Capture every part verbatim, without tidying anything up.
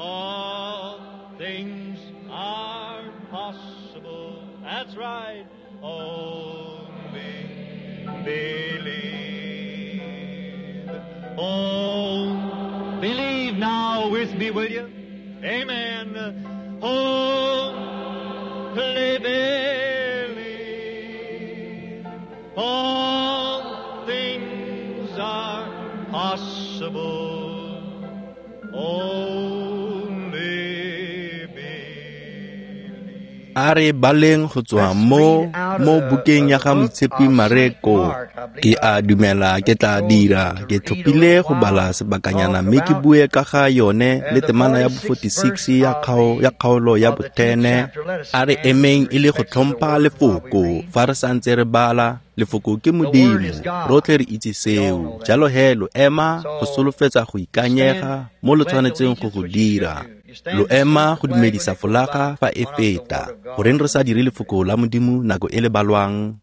All things are possible. That's right. Only believe. Oh, believe now with me, will you? Amen. Only believe. All things are possible. Only believe. A re baleng go tswa mo mo bukeng ya ga Moitshepi Mareko. Ke a dumela ke tla dira, ke tlhophile go bala sebakanyana mme ke bue ka ga yone le temana ya bo forty-six ya kgao ya kgaolo ya botene. A re emeng e le go tlhompha lefoko fa re santse re bala. Lefoko ke Modimo, rotlhe re itse seo. Jalo he lo ema go solofetsa go ikanyega mo lo tshwanetseng go go dira. Lo ema go dumedisa folaga fa e feta. Goreng re sa dire lefoko la Modimo nako e le balwang?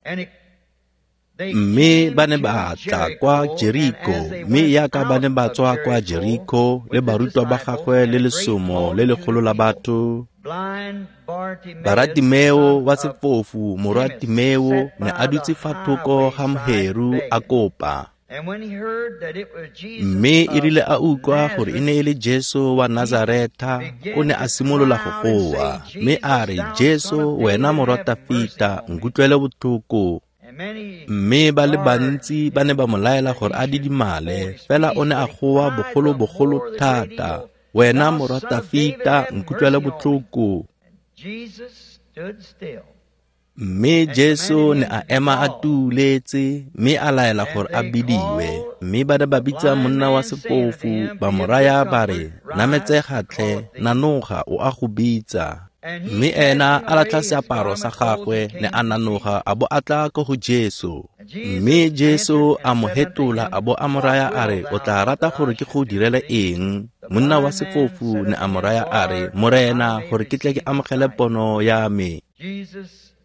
Mme ba ne ba tla kwa Jeriko, mme yaka ba ne ba tswa kwa Jeriko le barutwa ba gagwe le lesomo le legolo la batho, Baratimeo wa sefofu morwa Timeo ne a dutse fa thoko ga mheru a kopa. Mme e rile a utlwa gore e ne e le Jesu wa Nazaretha, o ne a simolola go goa, mme a re, Jesu, wena morwa Tafita, nkutlwele botlhoko. Mme ba le bantsi ba ne ba mo laela gore a didimale, fela o ne a goa bogolo-bogolo thata, wena morwa Tafita, nkutlwele botlhoko. Mme Jesu ne a ema a tuletse, mme a laela gore a bidiwe. Mme ba ne ba bitsa monna wa sefofu, ba mo raya ba re, nametsega tlhe, nanoga, o a go bitsa. Mme ena a latlha seaparo sa gagwe, ne a nanoga a bo a tla ko go Jesu. Mme Jesu a mo hetola a bo a mo raya a re, o tla rata gore ke go direle eng? Monna wa sefofu ne a mo raya a re, Morena, gore ke tle ke amogele pono ya me.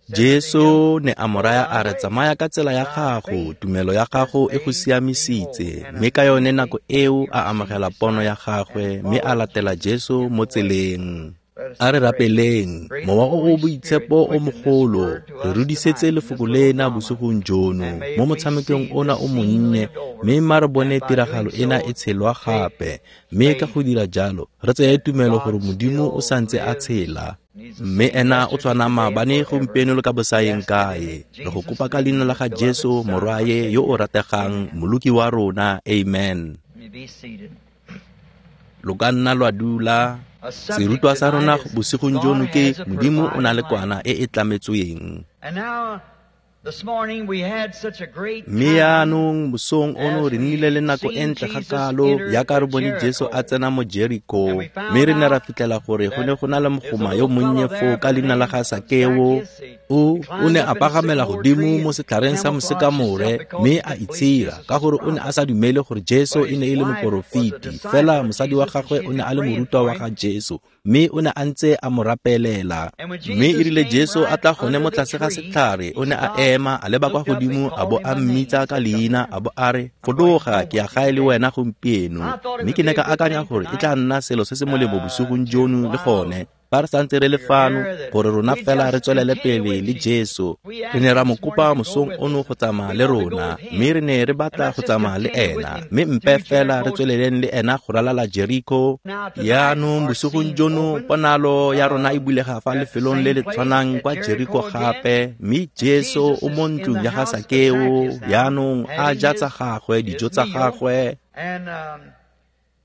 Jesu ne a mo raya a re, tsamaya ka tsela ya gago, tumelo ya gago e go siamisitse. Mme ka yone nako eo a amogela pono ya gagwe, mme a latela Jesu mo tseleng. A re rapeleng, Mowa o o Boitshepo o mogolo, re rudisetse lefoko lena bosigong jono mo motshamekong ona o monnye, mme mma re bone tiragalo ena e tshelwa gape. Mme ka go dira jalo, re tseye tumelo gore Modimo o santse a tshela, mme ena o tshwana maabane, gompieno le ka bosaeng kae. Re go kopa ka leina la ga Jesu Morwaye yo o rategang, Moloki wa rona. Amen. Lo ka nna lwa dula. Serutwa sa rona bosigong jono ke Modimo o na le kwana e e tlametsweng. Mme yaanong mosong ono re nnile le nako e ntle ga kalo yaka re bone Jesu a tsena mo Jeriko, mme re ne ra fitlhela gore go ne go na le mogoma yo monnye foo ka leina la ga Sakeo. O o ne a pagamela godimo mo setlhareng sa mosekamore mme a itshira, ka gore o ne a sa dumele gore Jesu e ne e le moporofeti. Fela mosadi wa gagwe o ne a le morutwa wa ga Jesu, mme o ne a ntse a mo rapelela. Mme e rile Jesu a tla gone mo tlase ga setlhare, o ne a ema a leba kwa godimo a bo a mmitsa ka leina, a bo a re, fologa, ke ya gae le wena gompieno. Mme ke ne ka akanya gore e tla nna selo se se molemo bosigong jono le gone, fa re santse re le fano, gore rona fela re tswelele pele le Jesu. Re ne ra mo kopa mosong ono go tsamaya le rona, mme re ne re batla go tsamaya le ena, mme mpe fela re tsweleleng le ena go ralala Jeriko. Yaanong bosigong jono ponalo ya rona e bulega fa lefelong le le tshwanang kwa Jeriko gape, mme Jesu o mo ntlong ya ga Sakeo, yaanong a ja tsa gagwe, dijo tsa gagwe.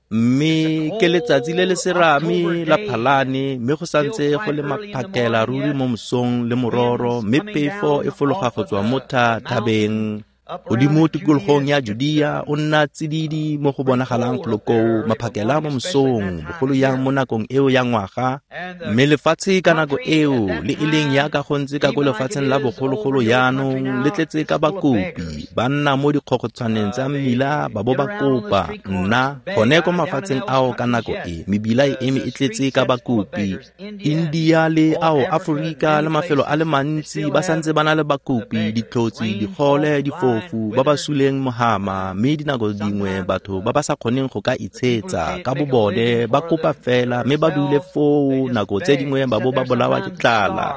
Mme ke letsatsi le le serame la Phalane, mme go santse go le maphakela ruri mo mosong le mororo, mme phefo e fologa go tswa mo thabeng. Godimo tikologong ya Judea o nna tsididi mo go bonagalang golo koo, maphakela mo mosong, bogolo yang mo nakong eo ya ngwaga. Mme lefatshe ka nako eo, le e leng yaka go ntse ka ko lefatsheng la bogologolo yaanong, le tletse ka bakopi, ba nna mo dikgogotshwaneng tsa mmila ba bo ba kopa. Nna gone ko mafatsheng ao ka nako e, mebila e eme e tletse ka bakopi. India le ao Aforika le mafelo a le mantsi ba santse ba na le bakopi, ditlhotsi, digole, difo, difofu, ba ba suleng mohama, mme dinako dingwe batho ba ba sa kgoneng go ka itshetsa ka bobone ba kopa fela mme ba dule foo nako tse dingwe ba bo ba bolawa ke tlala.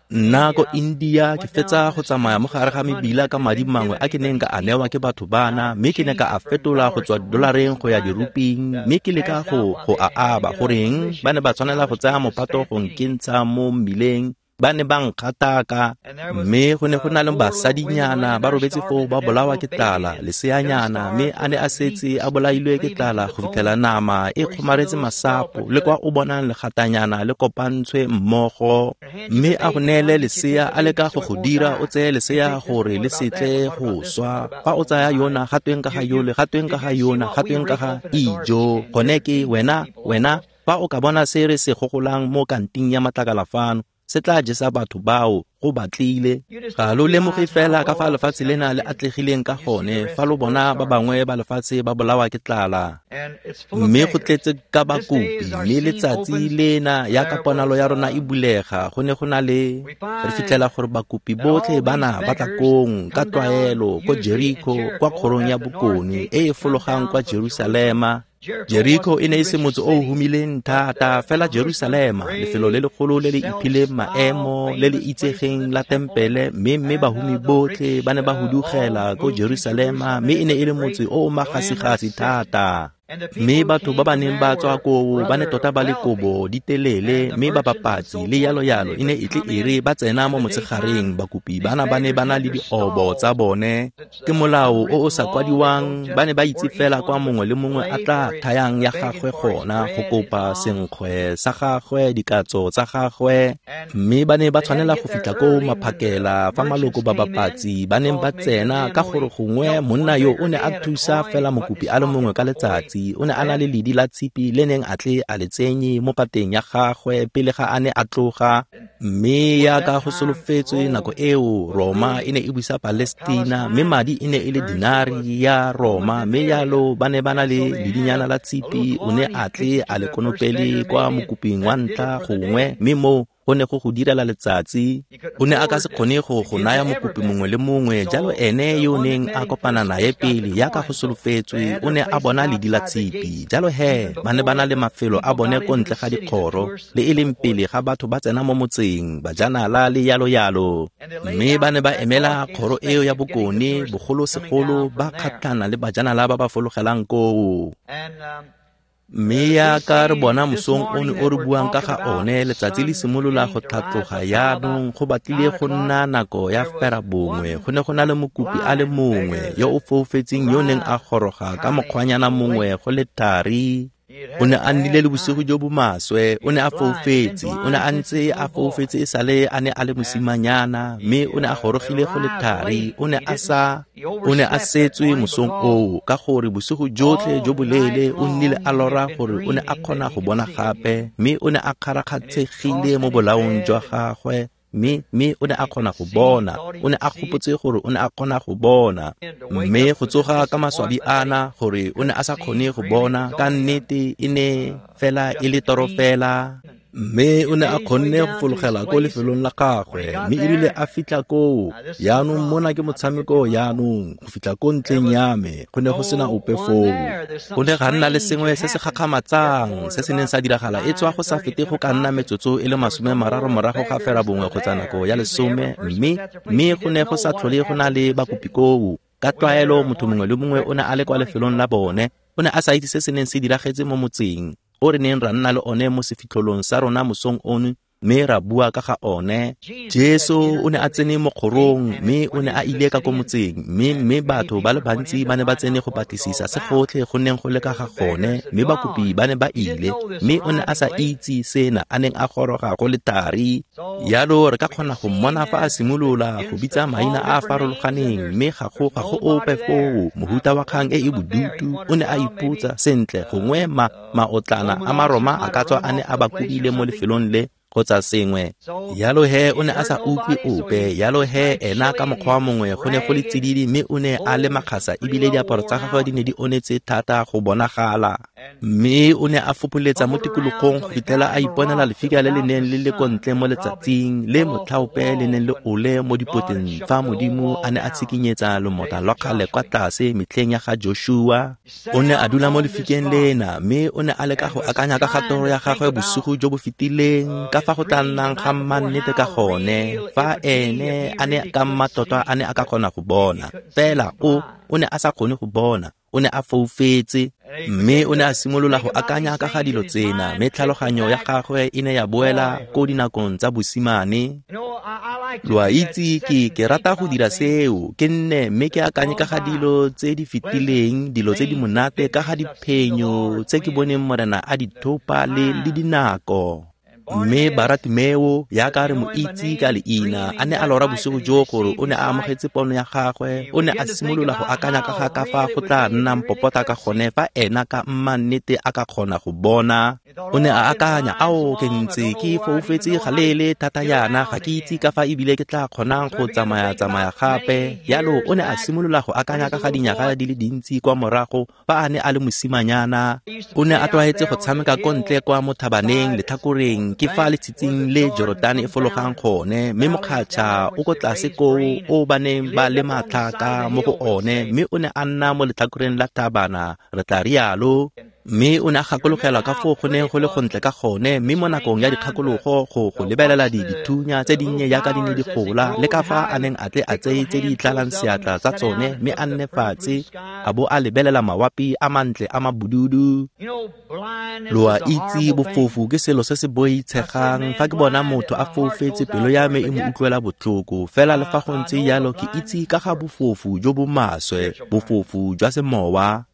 Nna ko India ke fetsa go tsamaya mo gare ga mebila ka madi mangwe a ke neng ka a newa ke batho bana, mme ke ne ka a fetola go tswa dolareng go ya diruping, mme ke leka go go a aba. Goreng ba ne ba tshwanela go tsaya mophato go nkentsha mo mmileng, ba ne ba nkgataka, mme go ne go na le basadinyana ba robetse foo ba bolawa ke tlala, leseanyana, mme a ne a setse a bolailwe ke tlala go fitlhela nama e kgomaretse masapo, le kwa o bonang legatanyana le kopantshwe mmogo, mme a go neele lesea a leka go go dira o tseye lesea gore le setle go swa. Fa o tsaya yona, ga tweng ka ga yole, ga tweng ka ga yona, ga tweng ka ga ijo, gone ke wena, wena, fa o ka bona se re se gogolang mo kanting ya matlakala fano, se tla jesa batho bao go batlile. Ga lo lemoge fela ka fa lefatshe lena le atlegileng ka gone fa lo bona ba bangwe ba lefatshe ba bolawa ke tlala, mme go tletse ka bakopi, mme letsatsi lena ya ka ponalo ya rona e bulega, go ne go na le re fitlhela gore bakopi botlhe bana ba tla kong ka tlwaelo ko Jericho, kwa kgorong ya bokone e e fologang kwa Jerusalema. Jericho e ne e se motse o humileng thata, fela Jerusalema, lefelo le legolo le le iphileng maemo, le le itsegeng la tempele, mme mme bahumi botlhe ba ne ba hudugela ko Jerusalema, mme e ne e le motse o o magasigasi thata. Mme batho ba ba neng ba tswa koo ba ne tota ba le kobo di telele, mme ba bapatsi le yalo yalo e ne e tle e re ba tsena mo motshegareng, bakopi bana ba ne ba na le diobo tsa bone. Ke molao o o sa kwadiwang, ba ne ba itse fela kwa mongwe le mongwe a tla thayang ya gagwe gona go kopa senkgwe sa gagwe, dikatso tsa gagwe, mme ba ne ba tshwanela go fitlha koo maphakela fa maloko ba bapatsi ba neng ba tsena, ka gore gongwe monna yo o ne a thusa fela mokopi a le mongwe ka letsatsi. O ne a na le ledi la tshipi le neng a tle a le tsenye mo pateng ya gagwe pele ga a ne a tloga. Mme yaka go solofetswe nako eo, Roma e ne e busa Palestina, mme madi e ne e le dinari ya Roma, mme yalo ba ne ba na le ledinyana la tshipi, o ne a tle a le konopele kwa mokoping wa ntlha gongwe, mme moo go ne go go direla letsatsi. O ne a ka se kgone go go naya mokopi mongwe le mongwe, jalo ene yo o neng a kopana naye pele yaka go solofetswe o ne a bona ledi la tshipi. Jalo he ba ne ba na le mafelo a bone ko ntle ga dikgoro, le e leng pele ga batho ba tsena mo motseng, bajanala le yalo yalo, mme ba ne ba emela kgoro eo ya bokone, bogolosegolo ba kgatlhana le bajanala ba ba fologelang koo. Mme yaka re bona mosong ono o re buang ka ga one, letsatsi le simolola go tlhatloga yaanong, go batlile go nna nako ya fera bongwe. Go ne go na le mokopi a le mongwe yo o foufetseng yo neng a goroga ka mokgwanyana mongwe go le thari. O ne a nnile le bosigo jo bo maswe, o ne a foufetse, o ne a ntse a foufetse e sale a ne a le mosimanyana, mme o ne a gorogile go le thari, o ne a sa o ne a setswe mosong oo, ka gore bosigo jotlhe jo boleele o nnile a lora gore o ne a kgona go bona gape, mme o ne a kgarakgatshegile mo bolaong jwa gagwe, mme mme o ne a kgona go bona, o ne a gopotse gore o ne a kgona go bona, mme go tsoga ka maswabi ana gore o ne a sa kgone go bona, ka nnete e ne fela e le toro fela. Mme o ne a kgonne go fologela ko lefelong la gagwe, mme erile a fitlha koo, yaanong mona ke motshameko yaanong, go fitlha ko ntleng ya me, go ne go sena ope foo. Go ne ga nna le sengwe se se gakgamatsang se se neng sa diragala e tswa go sa fete go ka nna metsotso e le masome mararo morago ga fera bongwe kgotsa nako ya lesome, mme mme go ne go sa tlhole go na le bakopi koo. Ka tlwaelo motho mongwe le mongwe o ne a le kwa lefelong la bone, o ne a sa itse se se neng se diragetse mo motseng o re neng ra nna le one mo sefitlholong sa rona mosong ono, mme ra bua ka ga one. Jesu o ne a tsene mo kgorong, mme o ne a ile ka ko motseng, mme mme batho ba le bantsi ba ne ba tsene go batlisisa se gotlhe go neng go le ka ga gone, mme bakopi ba ne ba ile, mme o ne a sa itse sena a neng a goroga go le thari. Yalo re ka kgona go mmona fa a simolola go bitsa maina a a farologaneng, mme ga go ga go ope foo. Mohuta wa kgang e e bodutu, o ne a ipotsa sentle gongwe ma maotlana a Maroma a ka tswa a ne a ba kopile mo lefelong le kgotsa sengwe. Yalo he o ne a sa utlwe ope, yalo he ena ka mokgwa mongwe go ne go le tsididi, mme o ne a le makgasa ebile diaparo tsa gagwe di ne di onetse thata go bonagala. Mme o ne a fopholetsa mo tikologong go fitlhela a iponela lefika le le neng le le ko ntle mo letsatsing le motlhaope le neng le ole mo dipoteng fa Modimo a ne a tshikinyetsa lomota lwa kgale kwa tlase metlheng ya ga Joshua. O ne a dula mo lefikeng lena mme o ne a leka go akanya ka ga toro ya gagwe bosigo jo bo fetileng ka fa go tla nnang ga mmannete ka gone fa ene a ne ka mmatota a ne a ka kgona go bona. Fela o o ne a sa kgone go bona. O ne a foufetse mme o ne a simolola go akanya ka ga dilo tsena mme tlhaloganyo ya gagwe e ne ya boela ko dinakong tsa bosimane. Lo a itse ke ke rata go dira seo, ke nne mme ke akanye ka ga dilo tse di fetileng, dilo tse di monate ka ga diphenyo tse ke boneng Morena a di thopa le le dinako. Mme Baratimeo yaka re mo itse ka leina a ne a lora bosigo jo gore o ne a amogetse pono ya gagwe. O ne a simolola go akanya ka ga ka fa go tla nnang popota ka gone fa ena ka mmannete a ka kgona go bona. O ne a akanya, ao ke ntse ke foufetse galele thata yana, ga ke itse ka fa ebile ke tla kgonang go tsamaya-tsamaya gape. Yalo o ne a simolola go akanya ka ga dinyaga di le dintsi kwa morago fa a ne a le mosimanyana. O ne a tlwaetse go tshameka ko ntle kwa mo thabaneng letlhakoreng ke fa letshitsing le Jordan e fologang gone, mme mokgatšha o ko tlase koo o ba neng ba le matlhaka mo go one, mme o ne a nna mo letlhakoreng la thabana, re tla rialo. Mme o ne a gakologelwa ka foo go neng go le gontle ka gone, mme mo nakong ya dikgakologo go go lebelela di dithunya tse dinnye jaaka di ne di gola, le ka fa a neng a tle a tseye tse di tlalang seatla tsa tsone mme a nne fatshe a bo a lebelela mawapi a mantle a mabududu. Lo a itse bofofu ke selo se se boitshegang. Fa ke bona motho a foufetse pelo ya me e mo utlwela botlhoko. Fela le fa go ntse jalo ke itse ka ga bofofu jo bo maswe, bofofu jwa semowa.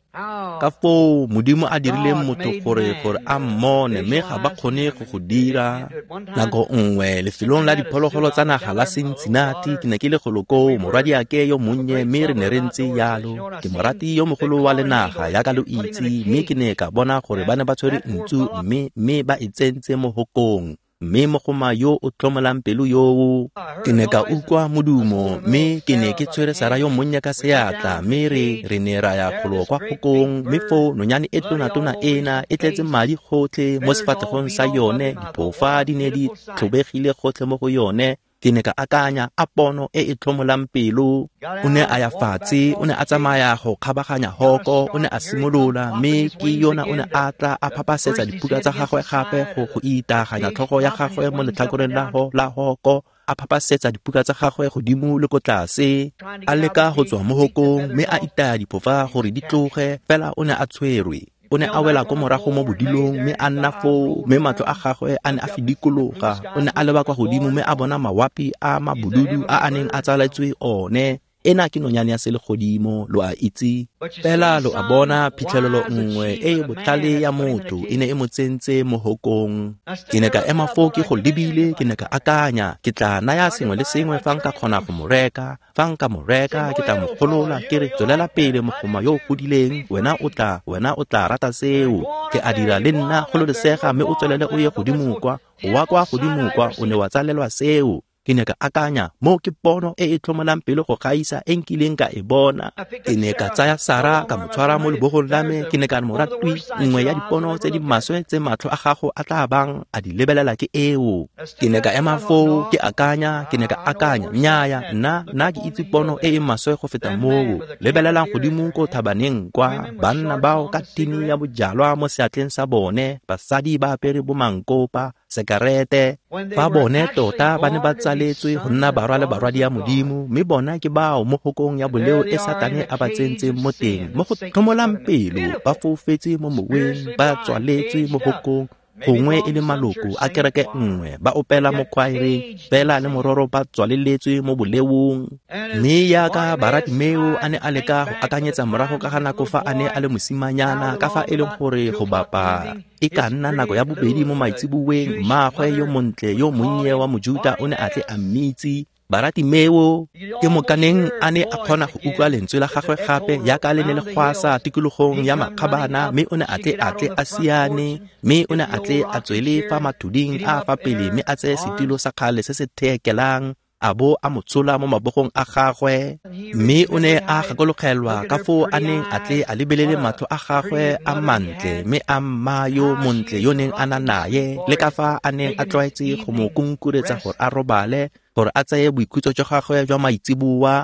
Ka foo Modimo a dirileng motho gore gore a mmone, mme ga ba kgone go go dira. Nako nngwe lefelong la diphologolo tsa naga la Cincinnati ke ne ke le golo koo, morwadiake yo monnye, mme re ne re ntse jalo. Ke morati yo mogolo wa lenaga yaka lo itse, mme ke ne ka bona gore ba ne ba tshwere ntsu mme mme ba e tsentse mo hokong. Mme mogoma yo o tlhomolang pelo yoo, ke ne ka utlwa modumo, mme ke ne ke tshwere Sara yo monnye ka seatla, mme re re ne ra ya golo kwa hokong, mme foo nonyane e tona-tona ena e tletse madi gotlhe mo sefatlhegong sa yone, diphofa di ne di tlhobegile gotlhe mo go yone. Ke ne ka akanya, a pono e e tlhomolang pelo. O ne a ya fatshe, o ne a tsamaya go kgabaganya hoko, o ne a simolola, mme ke yona o ne a tla a phapasetsa dipuka tsa gagwe gape go go itaganya tlhogo ya gagwe mo letlhakoreng la ho la hoko, a phapasetsa dipuka tsa gagwe godimo le ko tlase, a leka go tswa mo hokong, mme a itaya diphofa gore di tloge, fela o ne a tshwerwe. O ne a wela ko morago mo bodilong mme a nna foo, mme matlho a gagwe a ne a fidikologa. O ne a leba kwa godimo mme a bona mawapi a mabududu a a neng a tsaletswe one. Ena ke nonyane ya selegodimo, lo a itse. Fela lo a bona phitlhelelo nngwe e e botlhale ya motho e ne e mo tsentse mo hokong. Ke ne ka ema foo ke go lebile, ke ne ka akanya, ke tla naya sengwe le sengwe fa nka kgona go mo reka. Fa nka mo reka, ke tla mo golola, ke re tswelela pele mogoma yo o godileng, wena o tla, wena o tla rata seo. Ke a dira le nna gololesega mme o tswelele o ye godimo kwa, o wa kwa godimo kwa, o ne wa tsalelwa seo. Ke ne ka akanya, mo ke pono e e tlhomolang pelo go gaisa e nkileng ka e bona. Ke ne ka tsaya Sara ka mo tshwara mo lebogong la me, ke ne ka re moratwi, nngwe ya dipono tse di maswe tse matlho a gago a tla bang a di lebelela ke eo. Ke ne ka ema foo ke akanya, ke ne ka akanya, nnyaya, nna nna ke itse pono e e maswe go feta moo. Lebelelang godimo ko thabaneng kwa, banna bao ka tini ya bojalwa mo seatleng sa bone, basadi ba apere bomankopa, sekarete. Fa bone tota ba ne ba tsaletswe go nna barwa le barwadi ya Modimo, mme bona ke bao mo hokong ya boleo e Satane a ba tsentseng mo teng, mo go tlhomolang pelo, ba foufetse mo moweng, ba tswaletswe mo hokong, gongwe e le maloko a kereke nngwe, ba opela mo khwaereng, fela le mororo ba tswaleletswe mo boleong. Mme yaka Baratimeo a ne a leka go akanyetsa morago ka ga nako fa a ne a le mosimanyana, ka fa e leng gore go bapa e ka nna nako ya bobedi mo maitseboeng, mmaagwe yo montle yo monnye wa Mojuta o ne a tle a mmitse Baratimeo. Ke mokaneng a ne a kgona go utlwa lentswe la gagwe gape yaka le ne le gwasa tikologong ya makgabana, mme o ne a tle a tle a siane, mme o ne a tle a tswele fa mathuding a fa pele mme a tseye setilo sa kgale se se theekelang, a bo a mo tshola mo mabogong a gagwe. Mme o ne a gakologelwa ka foo a neng a tle a lebelele matlho a gagwe a mantle mme a mma yo montle yo neng a na naye, le ka fa a neng a tlwaetse go mo kunkuretsa gore a robale, gore a tseye boikhutso jwa gagwe jwa maitseboa.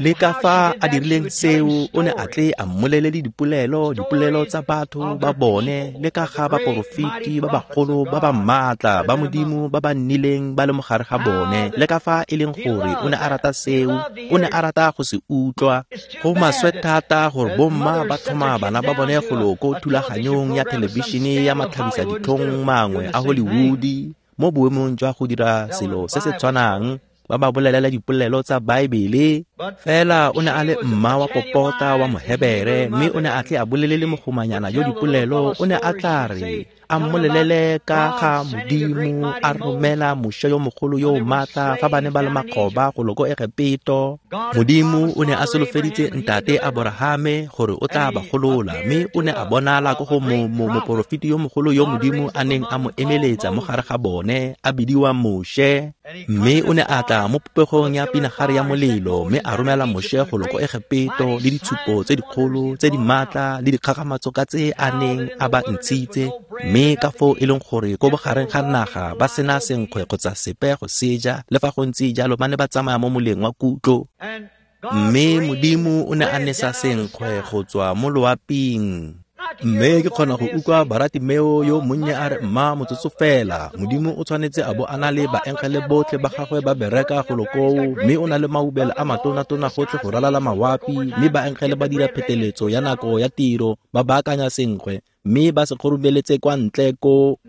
Le ka fa a dirileng seo, o ne a tle a mmolelele dipolelo, dipolelo tsa batho ba bone, le ka ga baporofeti ba bagolo ba ba maatla ba Modimo ba ba nnileng ba le mo gare ga bone, le ka fa e leng gore o ne a rata seo, o ne a rata go se utlwa. Go maswe thata gore bomma ba tlhoma bana ba bone golo ko thulaganyong ya thelebišene ya matlhabisa ditlhong mangwe a Hollywood, mo boemong jwa go dira selo se se tshwanang, ba ba bolelela dipolelo tsa Baebele. Fela o ne a le mma wa popota wa Mohebere, mme o ne a tle a bolelele mogomanyana yo dipolelo. O ne a tla re a mmolelele ka ga Modimo a romela Moshe yo mogolo yo o maatla fa ba ne ba le makgoba golo ko Egepeto. Modimo o ne a solofeditse ntate Aborahame gore o tla ba golola, mme o ne a bonala ko go moporofeti yo mogolo yo Modimo a neng a mo emeletsa mo gare ga bone, a bidiwa Moshe. Mme o ne a tla mo popegong ya pinagare ya molelo, mme a romela Moshe golo ko Egepeto le ditshupo tse dikgolo tse di maatla le dikgakgamatso ka tse a neng a ba ntshitse. Mme ka foo e leng gore ko bogareng ga naga ba sena senkgwe kgotsa sepe go seja, le fa go ntse jalo ba ne ba tsamaya mo moleng wa kutlo. Mme Modimo o ne a nesa senkgwe go tswa mo loaping. Mme ke kgona go utlwa Baratimeo yo monnye a re, mma motsotso fela, Modimo o tshwanetse a bo a na le baengele botlhe ba gagwe ba bereka golo koo, mme o na le maubelo a matonatona gotlhe go ralala mawapi, mme baengele ba dira pheteletso ya nako ya tiro, ba baakanya senkgwe, mme ba se kgorobeletse kwa ntle ko.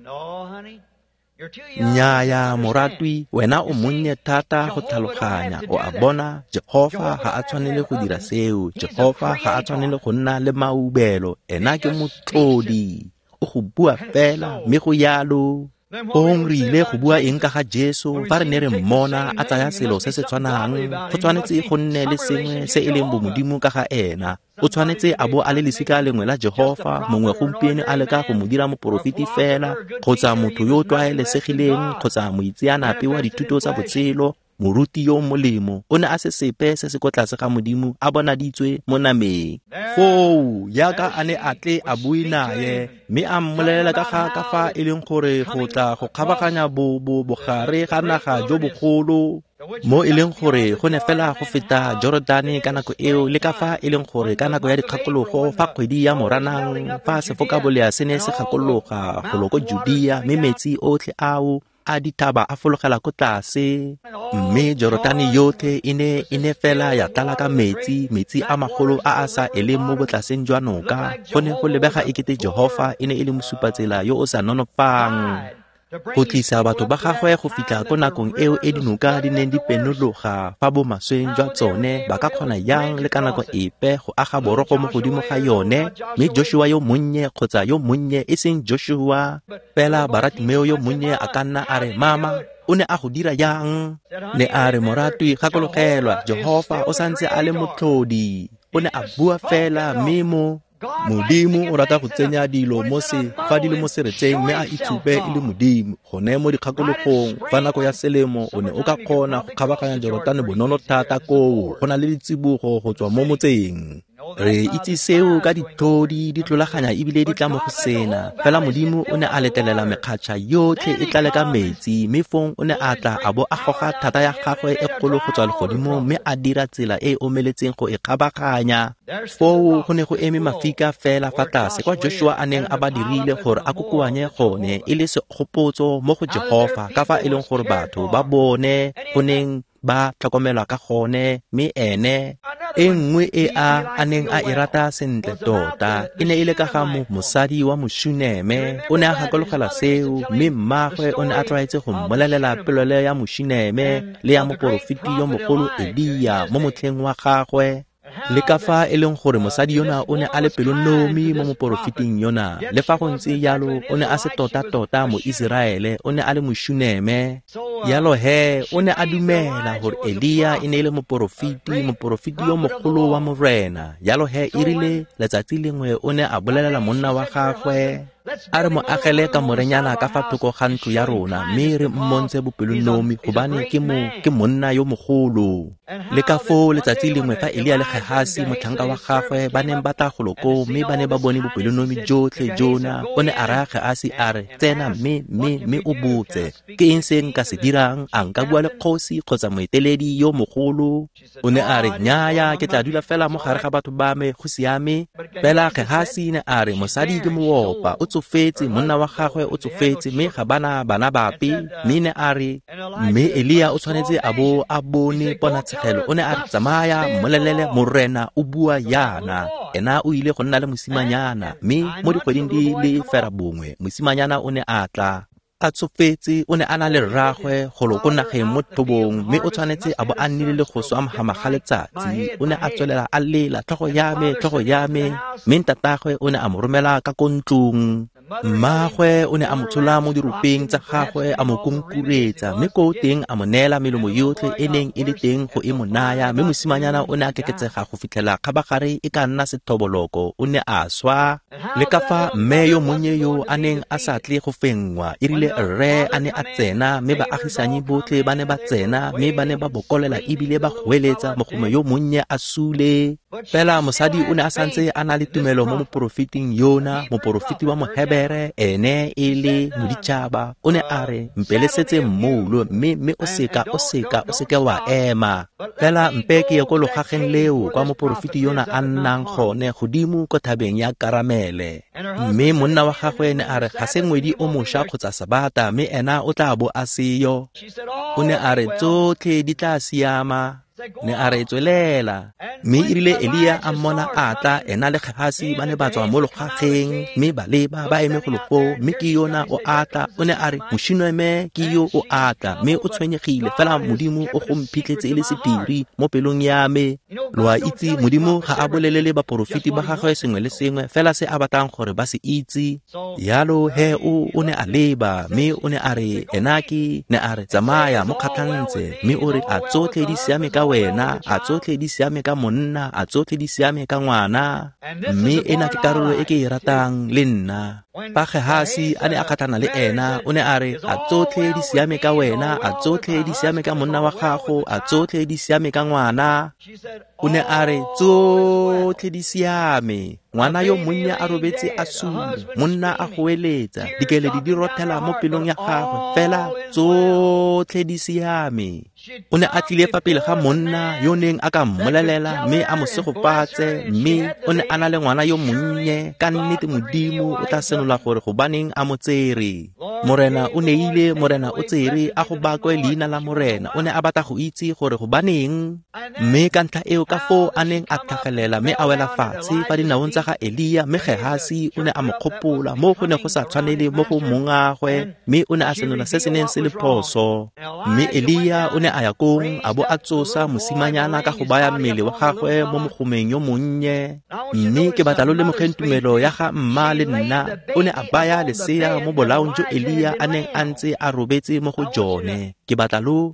Nnyaya moratwi, wena o monnye thata go tlhaloganya. O a bona, Jehofa ga a tshwanele go dira seo. Jehofa ga a tshwanele go nna le maubelo. Ena ke motlodi. O go bua fela, mme go yalo. Fong re ile go bua eng ka ga Jesu fa re ne re mmona a tsaya selo se se tshwanang? Go tshwanetse go nne le sengwe se e leng bomodimo ka ga ena. O tshwanetse a bo a le lesika lengwe la Jehofa, mongwe gompieno a leka go mo dira moporofeti fela, kgotsa motho yo o tlwaelesegileng, kgotsa moitseanape wa dithuto tsa botshelo, moruti yo molemo. O ne a se sepe se se ko tlase ga Modimo a bonaditswe mo nameng. Foo yaka a ne a tle a bue naye, mme a mmolelela ka ga ka fa e leng gore go tla go kgabaganya bo bo bogare ga naga jo bogolo, mo e leng gore go ne fela go feta Jorodane ka nako eo, le ka fa e leng gore ka nako ya dikgakologo fa kgwedi ya Moranang, fa sefokabolea se ne se gakologa golo ko Judea, mme metsi otlhe ao a dithaba a fologela ko tlase, mme Jorodane yotlhe e ne e ne fela ya tlala ka metsi, metsi a magolo a a sa eleng mo botlaseng jwa noka. Go ne go lebega ekete Jehofa e ne e le mosupatsela yo o sa nonofang go tlisa batho ba gagwe go fitlha ko nakong eo e dinoka di neng di penologa fa bomasweng jwa tsone ba ka kgona yang le ka nako epe go aga borogo mo godimo ga yone. Mme Joshua yo monnye, kgotsa yo monnye e seng Joshua fela, Baratimeo yo monnye a ka nna a re, mama, o ne a go dira yang? Ne a re, moratwi, gakologelwa, Jehofa o santse a le motlhodi. O ne a bua fela, mme mo Modimo o rata go tsenya dilo mo se fa di le mo seretseng, mme a itshupe e le Modimo. Gone mo dikgakologong fa nako ya selemo o ne o ka kgona go kgabaganya Jorodane bonolo thata koo, go na le ditsibogo go tswa mo motseng. Re itse seo ka ditlhodi di tlolaganya ebile di tla mo go sena. Fela Modimo o ne a letelela mekgatšha yotlhe e tlale ka metsi, mme fong o ne a tla a bo a goga thata ya gagwe e kgolo go tswa legodimong, mme a dira tsela e e omeletseng go e kgabaganya. Foo go ne go eme mafika fela fa tlase kwa Joshua a neng a ba dirile gore a kokoanye gone, e le segopotso mo go Jehofa ka fa e leng gore batho ba bone go neng ba tlhokomelwa ka gone. Mme ene e nngwe e a a neng a e rata sentle tota e ne e le ka ga mosadi wa Moshuneme. O ne a gakologela seo, mme mmagwe o ne a tlwaetse go mmolelela polelo ya Moshuneme le ya moporofeti yo mogolo Elia mo motlheng wa gagwe, le ka fa e leng gore mosadi yona o ne a le pelonomi mo moporofeting yona. Le fa go ntse jalo, o ne a se tota-tota mo Iseraele, o ne a le Moshuneme. Yalo he, o ne a dumela gore Elia e ne e le moporofeti, moporofeti yo mogolo wa Morena. Yalo he, e rile letsatsi lengwe o ne a bolelela monna wa gagwe, A re mo agele kamorenyana ka fa thoko ga ntlo ya rona, mme re mmontshe bopelonomi, gobane ke mo ke monna yo mogolo. Le ka foo letsatsi lengwe fa Elia le Gehasi motlhanka wa gagwe ba neng ba tla golo koo, mme ba ne ba bone bopelonomi jotlhe jona, o ne a raya Gehasi a re, tsena mme mme mme o botse, ke eng se nka se dirang? A nka bua le kgosi kgotsa moeteledi yo mogolo? O ne a re, nnyaya, ke tla dula fela mo gare ga batho ba me, go siame. Fela Gehasi ne a re, mosadi ke moopa, o tsofetse, monna wa gagwe o tsofetse, mme ga bana bana bape. Mme ne a re, mme Elia o tshwanetse a bo a bone ponatshegelo. O ne a re, tsamaya, mmolelele, morena o bua yana. Ena o ile go nna le mosimanyana, mme mo dikgweding di le fera bongwe mosimanyana o ne a tla. A tsofetse, o ne a na le rraagwe golo ko nageng mo thobong, mme o tshwanetse a bo a nnile le go swa mogama ga letsatsi. O ne a tswelela a lela, tlhogo ya me, tlhogo ya me. Mme ntatagwe o ne a mo romela ka ko ntlong. Mmagwe o ne a mo tshola mo diropeng tsa gagwe, a mo konkuretsa, mme koo teng a mo neela melemo yotlhe e neng e le teng go e mo naya. Mme mosimanyana o ne a keketsega go fitlhela kgabagare e ka nna sethoboloko, o ne a swa. Le ka fa mme yo monnye yo a neng a sa tle go fenngwa, e rile rre a ne a tsena, mme baagisanyi botlhe ba ne ba tsena, mme ba ne ba bokolela ebile ba goeletsa, mogome yo monnye a sule. Fela mosadi o ne a santse a na le tumelo mo moporofeting yona, moporofeti wa Mohebere, ene e le moditšhaba. O ne a re, mpelesetse mmoulo, mme mme o seka o seka o seke wa ema. Fela mpe ke ye ko logageng leo kwa moporofeti yona a nnang gone, godimo ko thabeng ya Karamele. Mme monna wa gagwe ne a re, ga se ngwedi o mošwa kgotsa sabata, mme ena o tla bo a seyo. O ne a re, tsotlhe di tla siama. Ne a re, tswelela. Mme e rile Elia a mmona a tla, ena le Gehasi ba ne ba tswa mo logageng, mme ba leba ba eme golo foo, mme ke yona o a tla. O ne a re, mošinweme ke yo o a tla, mme o tshwenyegile, fela Modimo o go mphitlhetse e le sephiri mo pelong ya me. Lo a itse, Modimo ga a bolelele baporofeti ba gagwe sengwe le sengwe, fela se a batlang gore ba se itse. Yalo he o o ne a leba, mme o ne a re, ena ke, ne a re, tsamaya mo kgatlhantse, mme o re, a tsotlhe di siame ka wena, a tsotlhe di siame ka monna, a tsotlhe di siame ka ngwana. Mme ena ke karolo e ke e ratang le nna. Fa Gehasi a ne a kgatlhana le ena, o ne a re, a tsotlhe di siame ka wena, a tsotlhe di siame ka monna wa gago, a tsotlhe di siame ka ngwana. O ne a re, tsotlhe di siame. Ngwana yo monnye a robetse a sule, monna a goeletsa, dikeledi di rothela mo pelong ya gagwe, fela tsotlhe di siame. O ne a tlile fa pele ga monna yo neng a ka mmolelela mme a mo segofatse, mme o ne a na le ngwana yo monnye. Ka nnete Modimo o tla senola gore gobaneng a mo tsere. Morena o neile, Morena o tsere, a go bakwe leina la Morena. O ne a batla go itse gore gobaneng. Mme ka ntlha eo ka foo a neng a tlhagelela mme a wela fatshe fa dinaong tsa ga Elia, mme Gehasi o ne a mo kgopola mo go ne go sa tshwanele mo go mongagwe, mme o ne a senola se se neng se le phoso. Mme Elia o ne a ya kong a bo a tsosa mosimanyana ka go baya mmele wa gagwe mo mogomeng yo monnye. Mme ke batla lo lemogeng tumelo ya ga mma le nna. O ne a baya lesea mo bolaong jo Elia a neng a ntse a robetse mo go jone. Ke batla lo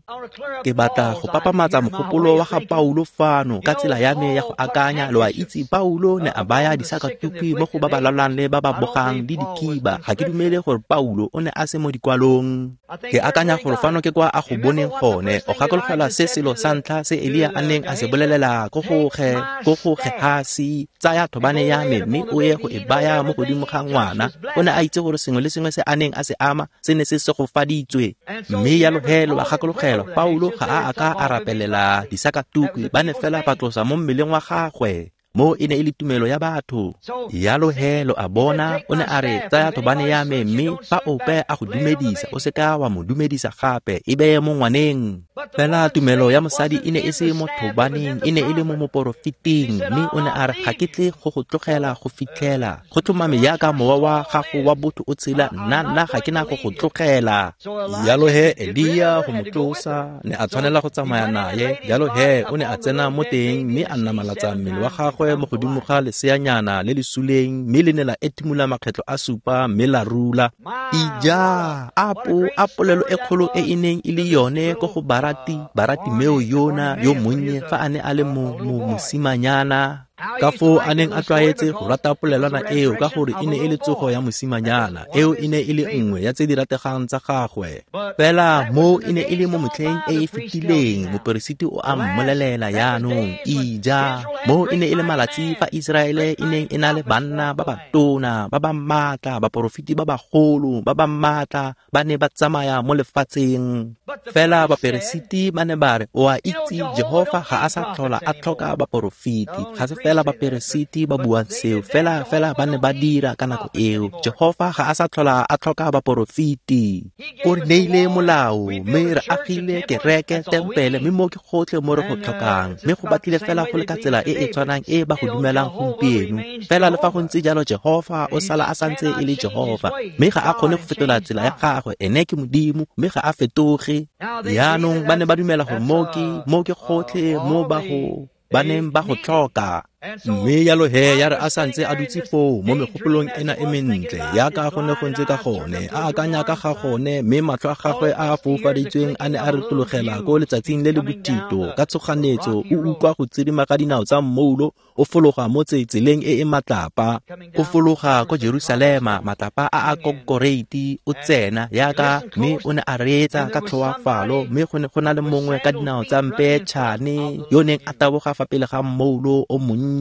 ke batla go papamatsa mogopolo wa ga Paulo fano ka tsela ya me ya go akanya. Lo a itse, Paulo ne a baya disakatuku mo go ba ba lwalang le ba ba bogang le dikiba. Ga ke dumele gore Paulo o ne a se mo dikwalong. Ke akanya gore fano ke kwa a go boneng gone. O gakologelwa se selo sa ntlha se Elia a neng a se bolelela ko go ge ko go Gehasi, tsaya thobane ya me mme o ye go e baya mo godimo ga ngwana. O ne a itse gore sengwe le sengwe se a neng a se ama se ne se segofaditswe. Mme yalo he lo a gakologelwa, Paulo ga a a ka a rapelela disakatuku, ba ne fela ba tlosa mo mmeleng wa gagwe. Mo e ne e le tumelo ya batho. Yalo he lo a bona, o ne a re, tsaya thobane ya me, mme fa ope a go dumedisa, o seka wa mo dumedisa gape, e beye mo ngwaneng. Fela tumelo ya mosadi e ne e se mo thobaneng, e ne e le mo moporofeting. Mme o ne a re, ga ke tle go go tlogela go fitlhela go tlhomame yaka mowa wa gago wa botho o tshela, nna nna ga ke na go go tlogela. Yalo he Elia go mo tlosa, ne a tshwanela go tsamaya naye. Yalo he o ne a tsena mo teng mme a namalatsa mmele wa gagwe mo godimo ga leseanyana le le suleng, mme le ne la etimula makgetlo a supa mme la rula. Ija, apo a polelo e kgolo e e neng e le yone ko go Barati, Baratimeo yona yo monnye fa a ne a le mo mo mosimanyana. Ka foo a neng a tlwaetse go rata polelwana eo ka gore e ne e le tsogo ya mosimanyana, eo e ne e le nngwe ya tse di rategang tsa gagwe. Fela mo e ne e le mo motlheng e e fetileng, moperesiti o a mmolelela jaanong, ija, mo e ne e le malatsi fa Iseraele e neng e na le banna ba ba tona, ba ba maatla, baporofeti ba bagolo, ba ba maatla, ba ne ba tsamaya mo lefatsheng. Fela baperesiti ba ne ba re, o a itse Jehofa ga a sa tlhola a tlhoka baporofeti, ga se fela baperesiti ba buang seo, fela fela ba ne ba dira ka nako eo. Jehofa ga a sa tlhola a tlhoka baporofeti. O re neile molao, mme re agile kereke, tempele, mme mo ke gotlhe mo re go tlhokang. Mme go batlile fela go le ka tsela e e tshwanang e ba go dumelang gompieno. Fela le fa go ntse jalo, Jehofa o sala a santse e le Jehofa, mme ga a kgone go fetola tsela ya gagwe. Ene ke Modimo, mme ga a fetoge. Jaanong ba ne ba dumela gore mo ke mo ke gotlhe mo ba go ba neng ba go tlhoka. Mme jalo he ya re a santse a dutse foo mo megopolong ena e mentle yaka go ne go ntse ka gone, a akanya ka ga gone, mme matlho a gagwe a a foufaditsweng a ne a retologela ko letsatsing le le bothito. Ka tshoganetso o utlwa go tsirima ka dinao tsa mmoulo o fologa mo tseleng e e matlapa, o fologa ko Jerusalema, matlapa a a konkoreiti, o tsena yaka, mme o ne a reetsa ka tlhoafalo, mme go ne go na le mongwe ka dinao tsa mpeetšhane yo neng a taboga fa pele ga mmoulo o monnye.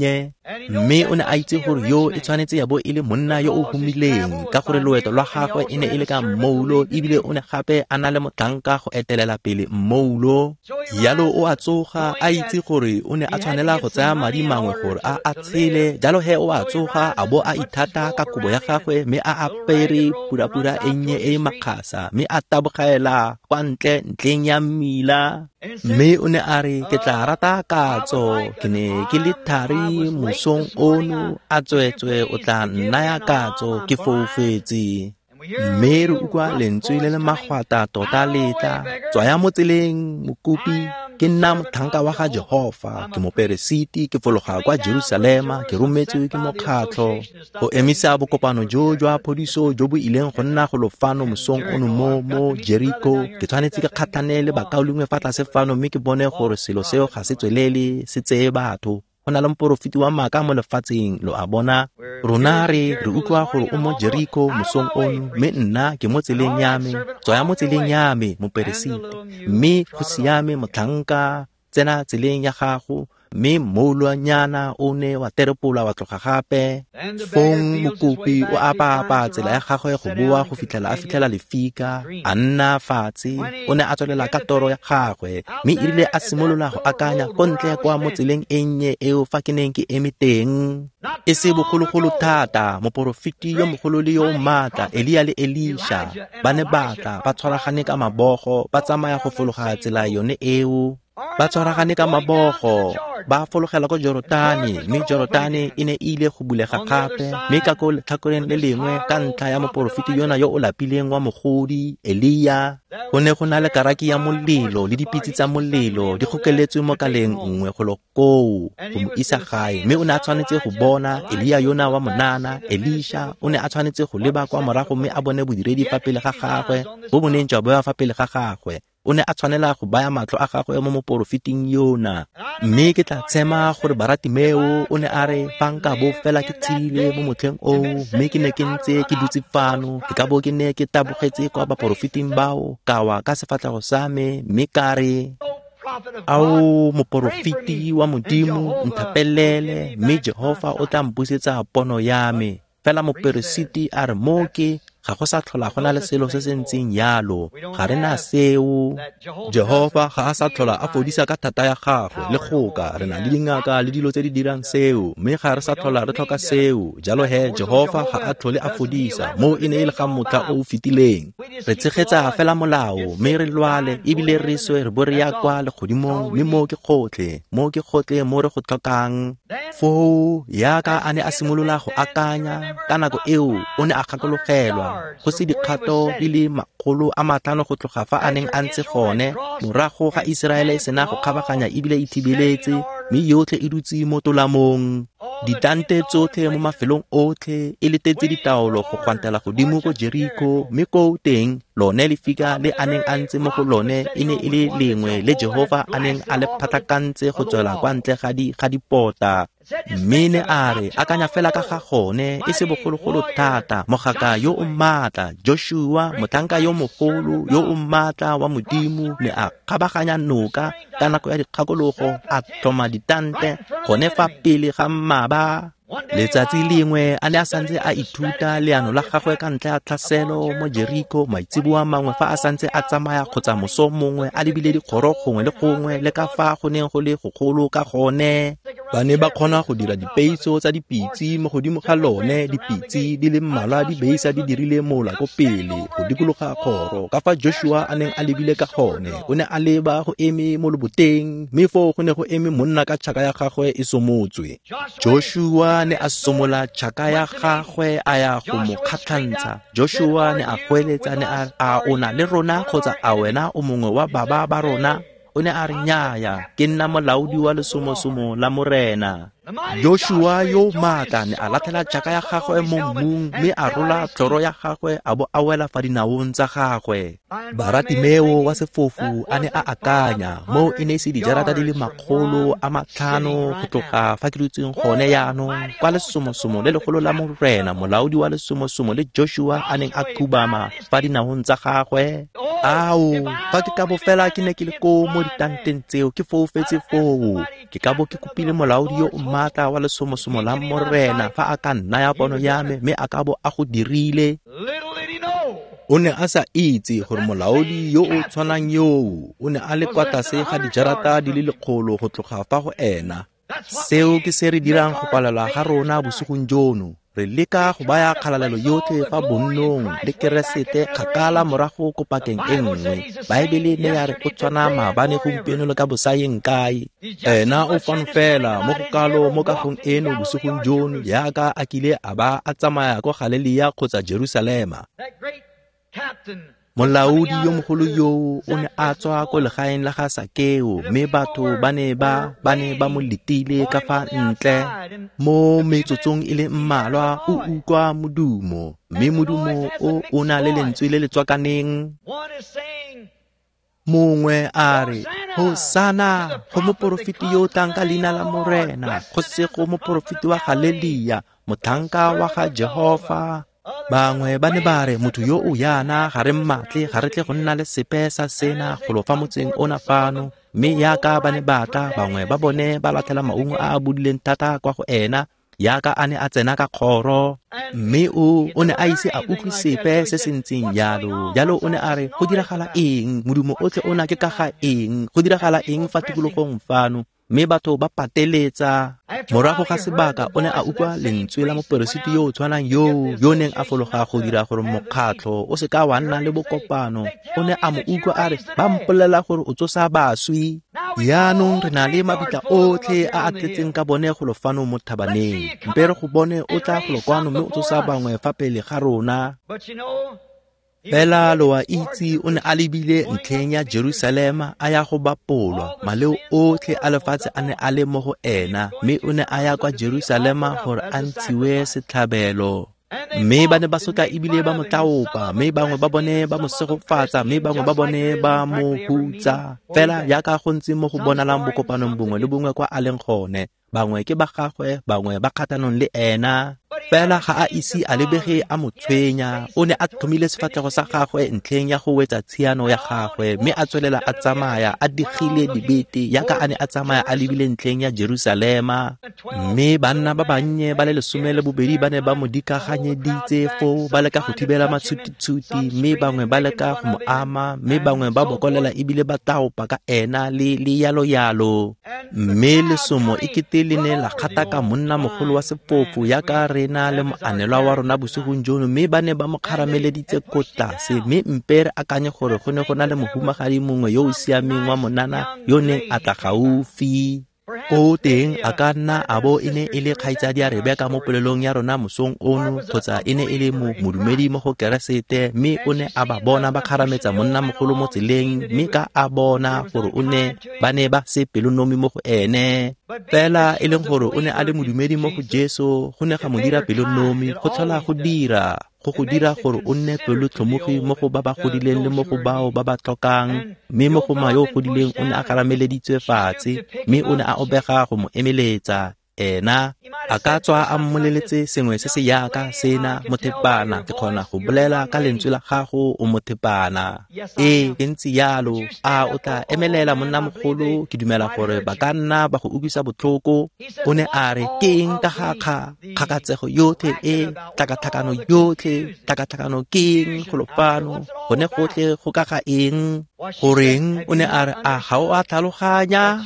Mme o ne a itse gore yo e tshwanetse ya bo e le monna yo o humileng, ka gore loeto lwa gagwe e ne e le ka mmoulo, ebile o ne gape a na le motlhanka go etelela pele mmoulo. Jalo o a tsoga a itse gore o ne a tshwanela go tsaya madi mangwe gore a a tshele. Jalo he o a tsoga a bo a ithata ka kobo ya gagwe, mme a apere purapura e nnye e e makgasa, mme a tabogela kwa ntle ntleng ya mmila. Mme o ne a re, ke tla rata katso, ke ne ke le thari mosong ono, a tswetswe o tla nnaya katso, ke foufetse. Mme re utlwa lentswe le le magwata tota le tla, tswaya mo tseleng mokopi, ke nna motlhanka wa ga Jehofa, ke moperesiti, ke fologa kwa Jerusalema, ke rometswe ke mokgatlho go emisa bokopano jo jwa phodiso jo bo ileng go nna golo fano mosong ono mo mo Jericho. Ke tshwanetse ke kgatlhane le bakaulengwe fa tlase fano, mme ke bone gore selo seo ga se tswelele se tseye batho. Go na le moporofeti wa maaka mo lefatsheng, lo a bona. Rona re re utlwa gore o mo Jericho mosong ono, mme nna ke mo tseleng ya me. Tswaya mo tseleng ya me, moperesiti, mme go siame motlhanka, tsena tseleng ya gago. Mme mmoulwanyana o ne wa terepola wa tloga gape. Fong mokopi o apa-apa tsela ya gagwe go boa go fitlhela a fitlhela lefika, a nna fatshe. O ne a tswelela ka toro ya gagwe, mme e rile a simolola go akanya ko ntle kwa mo tseleng e nnye eo fa ke neng ke eme teng. E se bogologolo thata, moporofeti yo mogolo le yo o maatla, Elia le Elisha, ba ne ba tla ba tshwaragane ka mabogo, ba tsamaya go fologa tsela yone eo. Ba tshwaragane ka mabogo, ba fologela ko Jorotane, mme Jorotane e ne e ile go bulega gape. Mme ka ko letlhakoreng le lengwe, ka ntlha ya moporofeti yona yo o lapileng wa mogodi, Elia, go ne go na le karaki ya molelo le dipitse tsa molelo di gokeletswe mo kaleng nngwe golo koo go mo isa gae. Mme o ne a tshwanetse go bona Elia yona wa monana, Elisha, o ne a tshwanetse go leba kwa morago mme a bone bodiredi fa pele ga gagwe, bo bo neng jwa bewa fa pele ga gagwe. O ne a tshwanela go baya matlho a gagwe mo moporofeting yona. Mme ke tla tshema gore Baratimeo o ne a re, fa nka bo fela ke tshedile mo motlheng oo, mme ke ne ke ntse ke dutse fano, ke ka bo ke ne ke tabogetse kwa baporofeting bao, ka wa ka sefatlhego sa me, mme ka re, ao moporofeti wa Modimo, nthapelele, mme Jehofa o tla mpusetsa pono ya me. Fela moperesiti a re, mo ke ga go sa tlhola go na le selo se se ntseng jalo, ga re na seo. Jehofa ga a sa tlhola a fodisa ka thata ya gagwe le goka, re na le dingaka le dilo tse di dirang seo, mme ga re sa tlhola re tlhoka seo. Jalo he Jehofa ga a tlhole a fodisa, mo e ne e le ga motlha o o fetileng. Re tshegetsa fela molao, mme re lwale ebile re swe re bo re ya kwa legodimong, mme mo ke gotlhe, mo ke gotlhe mo re go tlhokang. Foo yaka a ne a simolola go akanya, ka nako eo o ne a gakologelwa go se dikgato di le makgolo a matlhano go tloga fa a neng a ntse gone, morago ga Iseraele e sena go kgabaganya ebile e thibeletse, mme yotlhe e dutse mo tolamong. Ditante tsotlhe mo mafelong otlhe e letetse ditaolo go gwantela godimo ko Jericho, mme koo teng lone lefika le a neng a ntse mo go lone e ne e le lengwe le Jehofa a neng a le phatlakantse go tswela kwa ntle ga di ga dipota. Mme ne a re, akanya fela ka ga gone, e se bogologolo thata, mogaka yo o maatla, Joshua, motlhanka yo mogolo, yo o maatla wa Modimo, ne a kgabaganya noka ka nako ya dikgakologo, a tlhoma ditante gone fa pele ga mmaba. Letsatsi lengwe a ne a santse a ithuta leano la gagwe ka ntlha ya tlhaselo mo Jeriko, maitseboa mangwe fa a santse a tsamaya kgotsa moso mongwe a lebile dikgoro gongwe le gongwe le ka fa go neng go le gogolo ka gone. Ba ne ba kgona go dira dipeitso tsa dipitse mo godimo ga lone, dipitse di le mmalwa di beisa di dirile mola ko pele go dikologa kgoro. Ka fa Joshua a neng a lebile ka gone, o ne a leba go eme mo loboteng, mme foo go ne go eme monna ka tšhaka ya gagwe e somotswe. Joshua ne a somola tšhaka ya gagwe a ya go mo kgatlhantsha. Joshua ne a goeletsa, ne a a o na le rona kgotsa a wena o mongwe wa baba ba rona? O ne a re, nnyaya, ke nna molaodi wa lesomosomo la Morena. Joshua yo maatla ne a latlhela tšhaka ya gagwe mo mmung, mme a rola tlhoro ya gagwe a bo a wela fa dinaong tsa gagwe. Baratimeo wa sefofu a ne a akanya, moo e ne e se dijarata di le makgolo a matlhano go tloga fa ke dutseng gone jaanong, kwa lesomosomo le legolo la Morena, molaodi wa lesomosomo le Joshua a neng a khubama fa dinaong tsa gagwe. Ao, fa ke ka bo fela ke ne ke le koo mo ditanteng tseo, ke foufetse foo, ke ka bo ke kopile molaodi yo o maatla wa lesomosomo la Morena fa a ka nnaya pono ya me, mme a ka bo a go dirile. O ne a sa itse gore molaodi yo o tshwanang yoo o ne a le kwa tlase ga dijarata di le lekgolo go tloga fa go ena. Seo ke se re dirang go palelwa ga rona bosigong jono. Re leka go baya kgalalelo yotlhe fa bonnong le Keresete kgakala morago ko pakeng e nngwe. Baebele ne ya re o tshwana maabane, gompieno le ka bosayeng kae. Ena o fano fela mo go kalo mo kagong eno bosigong jono jaaka a kile a ba a tsamaya ko Galilea kgotsa Jerusalema. Molaodi yo mogolo yoo o ne a tswa ko legaeng la ga Sakeo, mme batho ba ne ba ba ne ba mo letile ka fa ntle. Mo metsotsong e le mmalwa o utlwa modumo, mme modumo o o na le lentswe le le tswakaneng. Mongwe a re, Hosana go moporofeti yo o tlang ka leina la Morena, go sego moporofeti wa Galilea, motlhanka wa ga Jehofa. Bangwe ba ne ba re, motho yo o yana ga re mmatle, ga re tle go nna le sepe sa sena golo fa motseng ona fano. Mme yaka ba ne ba tla, bangwe ba bone ba latlhela maungo a a bodileng thata kwa go ena, yaka a ne a tsena ka kgoro. Mme o o ne a ise a utlwe sepe se se ntseng jalo. Jalo o ne a re, go diragala eng? Modumo otlhe ona ke ka ga eng? Go diragala eng fa tikologong fano? Mme batho ba pateletsa. Morago ga sebaka o ne a utlwa lentswe la moperesiti yo o tshwanang yoo yo neng a fologa go dira gore mokgatlho o se ka wa nna le bokopano. O ne a mo utlwa a re, ba mpolelela gore o tsosa baswi. Jaanong re na le mabitla otlhe a a tletseng ka bone golo fano mo thabaneng. Mpe re go bone o tla golo kwano mme o tsosa bangwe fa pele ga rona. Fela lo a itse o ne a lebile ntlheng ya Jerusalema a ya go bapolwa. Maleo otlhe a lefatshe a ne a le mo go ena, mme o ne a ya kwa Jerusalema gore a ntshiwe setlhabelo. Mme ba ne ba sotla ebile ba mo tlaopa, mme bangwe ba bone ba mo segofatsa, mme bangwe ba bone ba mo hutsa. Fela jaaka go ntse mo go bonalang bokopanong bongwe le bongwe kwa a leng gone, bangwe ke ba gagwe, bangwe ba kgatlhanong le ena. Fela ga a ise a lebege a mo tshwenya. O ne a tlhomile sefatlhego sa gagwe ntlheng ya go wetsa tshiano ya gagwe, mme a tswelela a tsamaya a digile dibete jaaka a ne a tsamaya a lebile ntlheng ya Jerusalema. Mme banna ba bannye ba le lesome le bobedi ba ne ba mo dikaganyeditse foo, ba leka go thibela matshutitshuti, mme bangwe ba leka go mo ama, mme bangwe ba bokolela ebile ba taopa ka ena le le yalo yalo. Mme lesomo e kete le ne la kgataka monna mogolo wa sefofu jaaka re na le moanelwa wa rona bosigong jono, mme ba ne ba mo kgarameleditse ko tlase. Mme mpe re akanye gore go ne go na le mohumagadi mongwe yo o siameng wa monana yo neng a tla gaufi. Ko teng a ka nna a bo e ne e le kgaitsadi ya Rebeka mo polelong ya rona mosong ono, kgotsa e ne e le mo modumedi mo go Keresete, mme o ne a ba bona ba kgarametsa monna mogolo mo tseleng, mme ka a bona gore o ne ba ne ba se pelonomi mo go ene. Fela e leng gore o ne a le modumedi mo go Jesu, go ne ga mo dira pelonomi, go tlhola go dira go go dira gore o nne pelotlhomogi mo go ba ba godileng le mo go bao ba ba tlhokang. Mme mogoma yo o godileng o ne a kgarameleditswe fatshe, mme o ne a obega go mo emeletsa. Ena a ka tswa a mmoleletse sengwe se se yaka sena, mothepana, ke kgona go bolela ka lentswe la gago o mothepana. Ee, ke ntse yalo. A o tla emelela monnamogolo, ke dumela gore ba ka nna ba go utlwisa botlhoko. O ne a re, ke eng ka ga kga kgakatsego yotlhe e, tlhakatlhakano yotlhe, tlhakatlhakano ke eng golo fano, gone gotlhe go ka ga eng? Goreng o ne a re, a ga o a tlhaloganya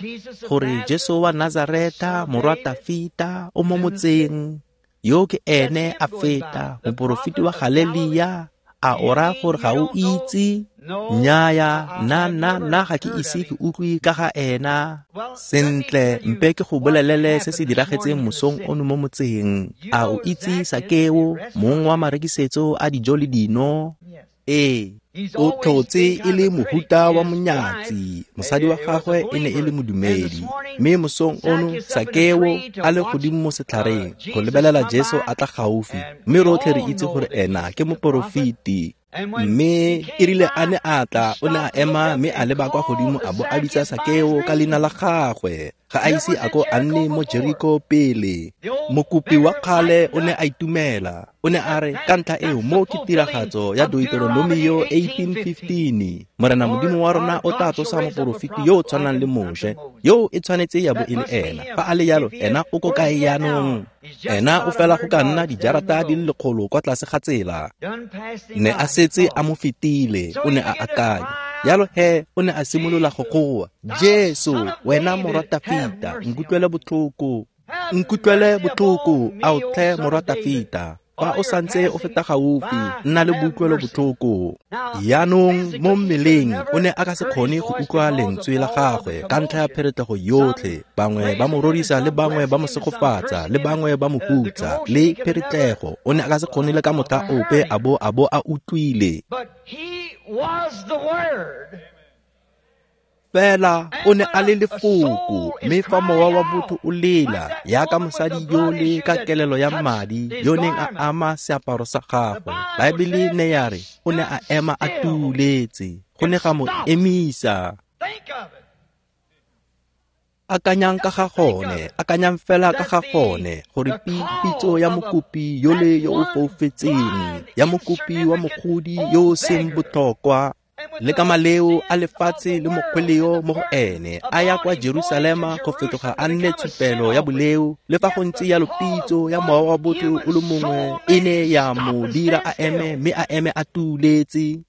gore Jesu wa Nazareta, morwa Tafita, o mo motseng? Yo ke ene a feta, moporofeti wa Galelia. A o raya gore ga o itse? Nnyaya, nna nna nna ga ke ise ke utlwe ka ga ena. Sentle, mpe ke go bolelele se se diragetseng mosong ono mo motseng. A o itse Sakeo, mong wa marekisetso a dijo le dino? Ee, o tlhotse e le mohuta wa monyatsi. Mosadi wa gagwe e ne e le modumedi. Mme mosong ono Sakeo a le godimo mo setlhareng go lebelela Jesu a tla gaufi, mme rotlhe re itse gore ena ke moporofeti. Mme e rile a ne a tla, o ne a ema mme a leba kwa godimo a bo a bitsa Sakeo ka leina la gagwe. Ga a ise a ko a nne mo Jeriko pele. Mokopi wa kgale o ne a itumela. O ne a re, ka ntlha eo mo ke tiragatso ya Deuteronomio eighteen fifteen. Morena Modimo wa rona o tla tsosa moporofeti yo o tshwanang le Moshe, yo e tshwanetse ya bo e le ena. Fa a le yalo, ena o ko kae jaanong? Ena o fela go ka nna dijarata di le lekgolo kwa tlase ga tsela. Ne a setse a mo fetile, o ne a akanya. Yalo he, o ne a simolola go goa, Jesu, wena morwa Tafita, nkutlwele botlhoko. Nkutlwele botlhoko, ao tlhe morwa Tafita. Fa o santse o feta gaufi, nna le boutlwelo botlhoko. Jaanong mo mmeleng o ne a ka se kgone go utlwa lentswe la gagwe ka ntlha ya pheretlego yotlhe. Bangwe ba mo rorisa le bangwe ba mo segofatsa le bangwe ba mo hutsa le pheretlego. O ne a ka se kgone le ka motlha ope a bo a bo a utlwile. Fela o ne a le lefoko, mme fa mowa wa botho o lela yaka mosadi yole ka kelelo ya madi yo neng a ama seaparo sa gagwe, Baebele ne ya re o ne a ema a tuuletse, go ne ga mo emisa. Akanyang ka ga gone, akanyang fela ka ga gone, gore pitso ya mokopi yole yo o foufetseng, ya mokopi wa mogodi yo o seng botlhokwa, le ka maleo a lefatshe le mokgweleo mo go ene, a ya kwa Jerusalema go fetoga a nne tshupelo ya boleo. Le fa go ntse yalo, pitso ya mowa wa botho o le mongwe e ne ya mo dira a eme, mme a eme a tuuletse.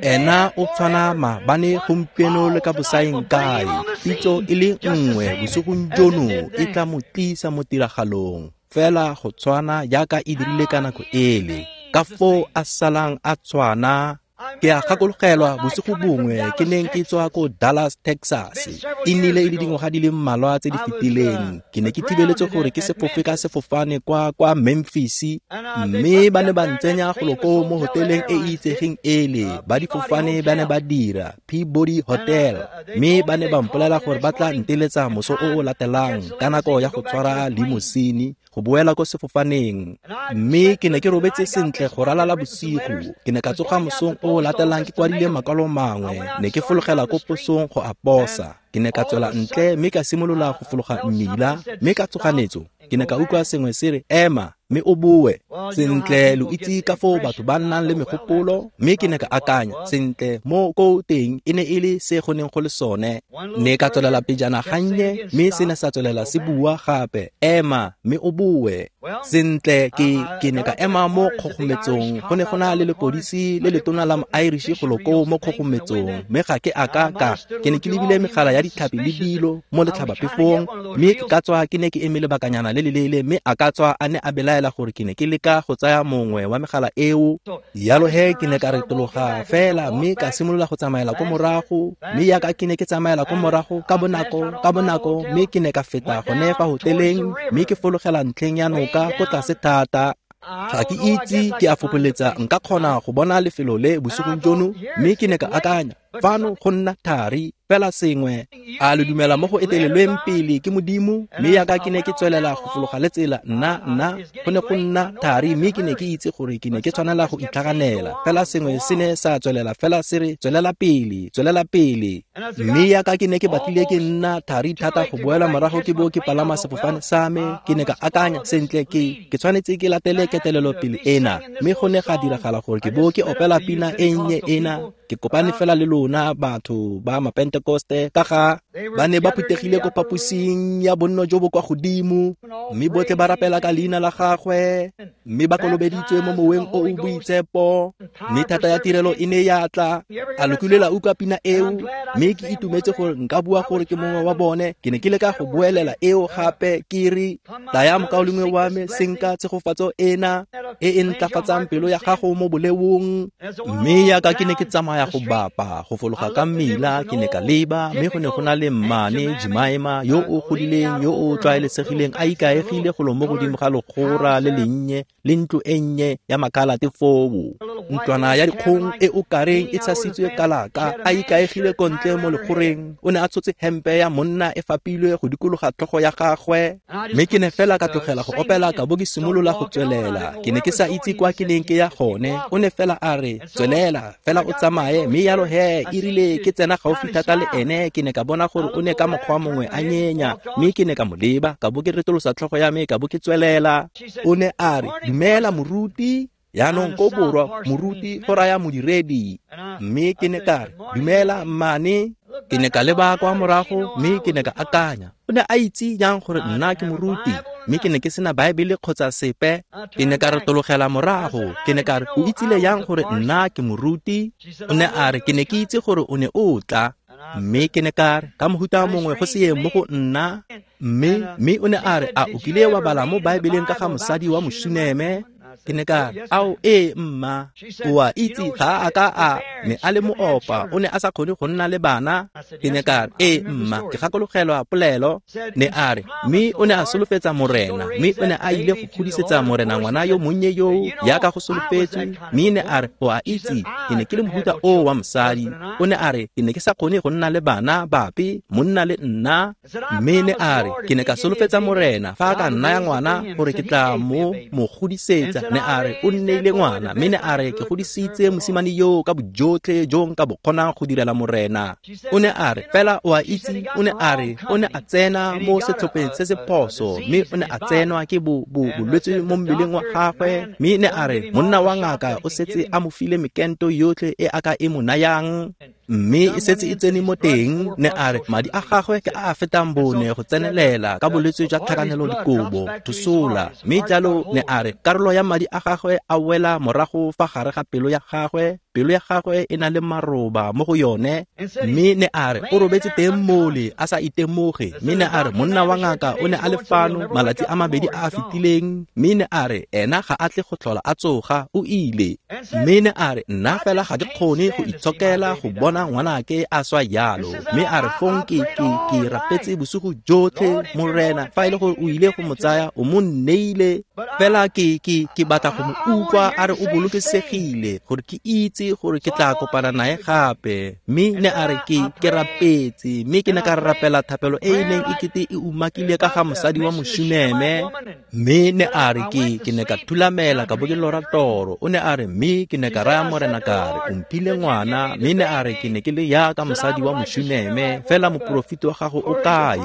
Ena o tshwana maabane, gompieno le ka bosaeng kae. Pitso e le nngwe bosigong jono e tla mo tlisa mo tiragalong, fela go tshwana jaaka e dirile ka nako ele. Ka foo a salang a tshwana. Ke a gakologelwa bosigo bongwe ke neng ke tswa ko Dallas, Texas. E nnile e le dingwaga di le mmalwa tse di fetileng. Ke ne ke thibeletse gore ke se fofe ka sefofane kwa kwa Memphis, mme ba ne ba ntsenya golo koo mo hoteleng e e itsegeng ele. Ba difofane ba ne ba dira Peabody Hotel, mme ba ne ba mpolela gore ba tla nteletsa moso o o latelang ka nako ya go tshwara limosini go boela ko sefofaneng. Mme ke ne ke robetse sentle go ralala bosigo. Ke ne ka tsoga mosong o latelang ke kwadile makwalo mangwe. Ne ke fologela ko posong go a posa. Ke ne ka tswela ntle mme ka simolola go fologa mmila, mme ka tsoganetso ke ne ka utlwa sengwe se re, ema mme o boe. Sentle, lo itse ka foo batho ba nnang le megopolo, mme ke ne ka akanya, sentle, mo ko teng e ne e le se go neng go le sone. Ne ka tswelela pejana gannye, mme se ne sa tswelela se bua gape, ema mme o boe. Sentle, ke ke ne ka ema mo kgogometsong. Go ne go na le lepodisi le letona la Irish golo koo mo kgogometsong, mme ga ke a ka ka ke ne ke lebile megala ya ditlhapi le dilo mo letlhabaphefong, mme ke ka tswa ke ne ke eme lebakanyana le leleele, mme a ka tswa a ne a belaela gore ke ne ke leka go tsaya mongwe wa megala eo. Yalo he ke ne ka retologa fela mme ka simolola go tsamaela ko morago, mme yaka ke ne ke tsamaela ko morago ka bonako ka bonako, mme ke ne ka feta gone fa hoteleng mme ke fologela ntlheng ya noka ko tlase thata. Ga ke itse, ke a fopoletsa nka kgona go bona lefelo le bosigong jono, mme ke ne ka akanya, fano go nna thari. Fela sengwe a le dumela mo go etelelweng pele ke Modimo. Mme yaka ke ne ke tswelela go fologa le tsela, nna nna go ne go nna thari, mme ke ne ke itse gore ke ne ke tshwanela go itlhaganela. Fela sengwe se ne sa tswelela fela se re tswelela pele, tswelela pele. Mme yaka ke ne ke batlile ke nna thari thata go boela morago ke bo ke palama sefofane sa me, ke ne ka akanya sentle ke ke tshwanetse ke latele ketelelo pele ena. Mme go ne ga diragala gore ke bo ke opela pina e nnye ena. Ke kopane fela le lona batho ba Mapentekoste ka ga ba ne ba phuthegile ko phaposing ya bonno jo bo kwa godimo, mme botlhe ba rapela ka leina la gagwe, mme ba kolobeditswe mo moweng o o boitshepo, mme thata ya tirelo e ne ya tla. A lo kile la utlwa pina eo? Mme ke itumetse gore nka bua gore ke mongwe wa bone. Ke ne ke leka go boelela eo gape ke re, tlaya mokaulengwe wa me, senka tshegofatso ena e e ntlafatsang pelo ya gago mo boleong. Mme yaka ke ne ke tsamaya go bapa go fologa ka mmila, ke ne ka leba, mme go ne go na le mmane Jemima yo o godileng, yo o tlwaelesegileng, a ikaegile golo mo godimo ga legora le lennye le ntlo e nnye ya makalate foo, ntlwana ya dikgong e o kareng e tshasitswe kalaka, a ikaegile ko ntle mo legoreng. O ne a tshotse hempe ya monna e fapilwe go dikologa tlhogo ya gagwe. Mme ke ne fela ka tlogela go opela ka bo ke simolola go tswelela. Ke ne ke sa itse kwa ke neng ke ya gone. O ne fela a re, tswelela fela o tsamaye. Mme yalo he, e rile ke tsena gaufi thata le ene, ke ne ka bona gore o ne ka mokgwa mongwe a nyenya, mme ke ne ka mo leba, ka bo ke retolosa tlhogo ya me, ka bo ke tswelela. O ne a re, dumela moruti. Yaanong ko borwa moruti go raya modiredi. Mme ke ne ka re, dumela mmane. Ke ne ka leba kwa morago, mme ke ne ka akanya, o ne a itse jang gore nna ke moruti? Mme ke ne ke sena Baebele kgotsa sepe. Ke ne ka retologela morago, ke ne ka re, o itsile jang gore nna ke moruti? O ne a re, ke ne ke itse gore o ne o tla. Mme ke ne ka re, ka mohuta mongwe go se ye mo go nna. Mme mme o ne a re, a o kile wa bala mo Baebeleng ka ga mosadi wa Mosuneme? Ke ne ka re, ao ee mma, o a itse ga a ka a ne a le moopa, o ne a sa kgone go nna le bana. Ke ne ka re, ee mma, ke gakologelwa polelo. Ne a re, mme o ne a solofetsa Morena, mme o ne a ile go godisetsa Morena ngwana yo monnye yo yaka go solofetswe. Mme ne a re, o a itse, ke ne ke le mohuta o wa mosadi. O ne a re, ke ne ke sa kgone go nna le bana bape, monna le nna. Mme ne a re, ke ne ka solofetsa Morena fa a ka nnaya ngwana gore ke tla mo mo godisetsa. Ne a re, o nneile ngwana, mme ne a re, ke godisitse mosimane yo ka bojotlhe jo nka bo kgonang go direla Morena. O ne a re, fela o a itse, o ne a re, o ne a tsena mo setlhopheng se se phoso, mme o ne a tsenwa ke bo bo bolwetse mo mmeleng wa gagwe. Mme ne a re, monna wa ngaka o setse a mo file mekento yotlhe e a ka e mo nayang, mme e setse e tsene mo teng. Ne a re, madi a gagwe ke a a fetang bone go tsenelela ka bolwetse jwa tlhakanelo dikobo, thosola. Mme jalo ne a re, karolo ya madi a gagwe a wela morago fa gare ga pelo ya gagwe, pelo ya gagwe e na le maroba mo go yone. Mme ne a re, o robetse teng mole a sa itemoge. Mme ne a re, monna wa ngaka o ne a le fano malatsi a mabedi a a fetileng, mme ne a re, ena ga a tle go tlhola a tsoga, o ile. Mme ne a re, nna fela ga ke kgone go itshokela go bona ngwanake a swa yalo. Mme a re, fong ke ke ke rapetse bosigo jotlhe, Morena, fa e le gore o ile go mo tsaya, o mo nneile. Fela ke ke ke batla go mo utlwa a re o bolokesegile, gore ke itse gore ke tla kopana nae gape. Mme ne a re, ke ke rapetse, mme ke ne ka rapela thapelo e e neng e kete e umakile ka ga mosadi wa Mosuneme. Mme ne a re, ke ke ne ka thulamela ka bo ke lora toro. O ne a re, mme ke ne ka raya Morena ka re, o mphile ngwana. Mme ne a re, ke ne ke le yaka mosadi wa Mosuneme, fela moporofeti wa gago o kae?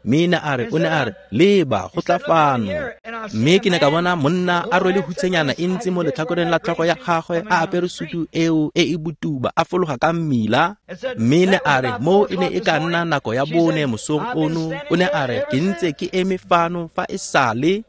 Mme ne a re, o ne a re, leba go tla fano. Mme ke ne ka bona monna a rwele hutsenyana e ntse mo letlhakoreng la tlhogo ya gagwe, a apere sutu eo e e botuba, a fologa ka mmila. Mme ne a re, mo e ne e ka nna nako ya bone mosong ono. O ne a re, ke ntse ke eme fano fa e sale.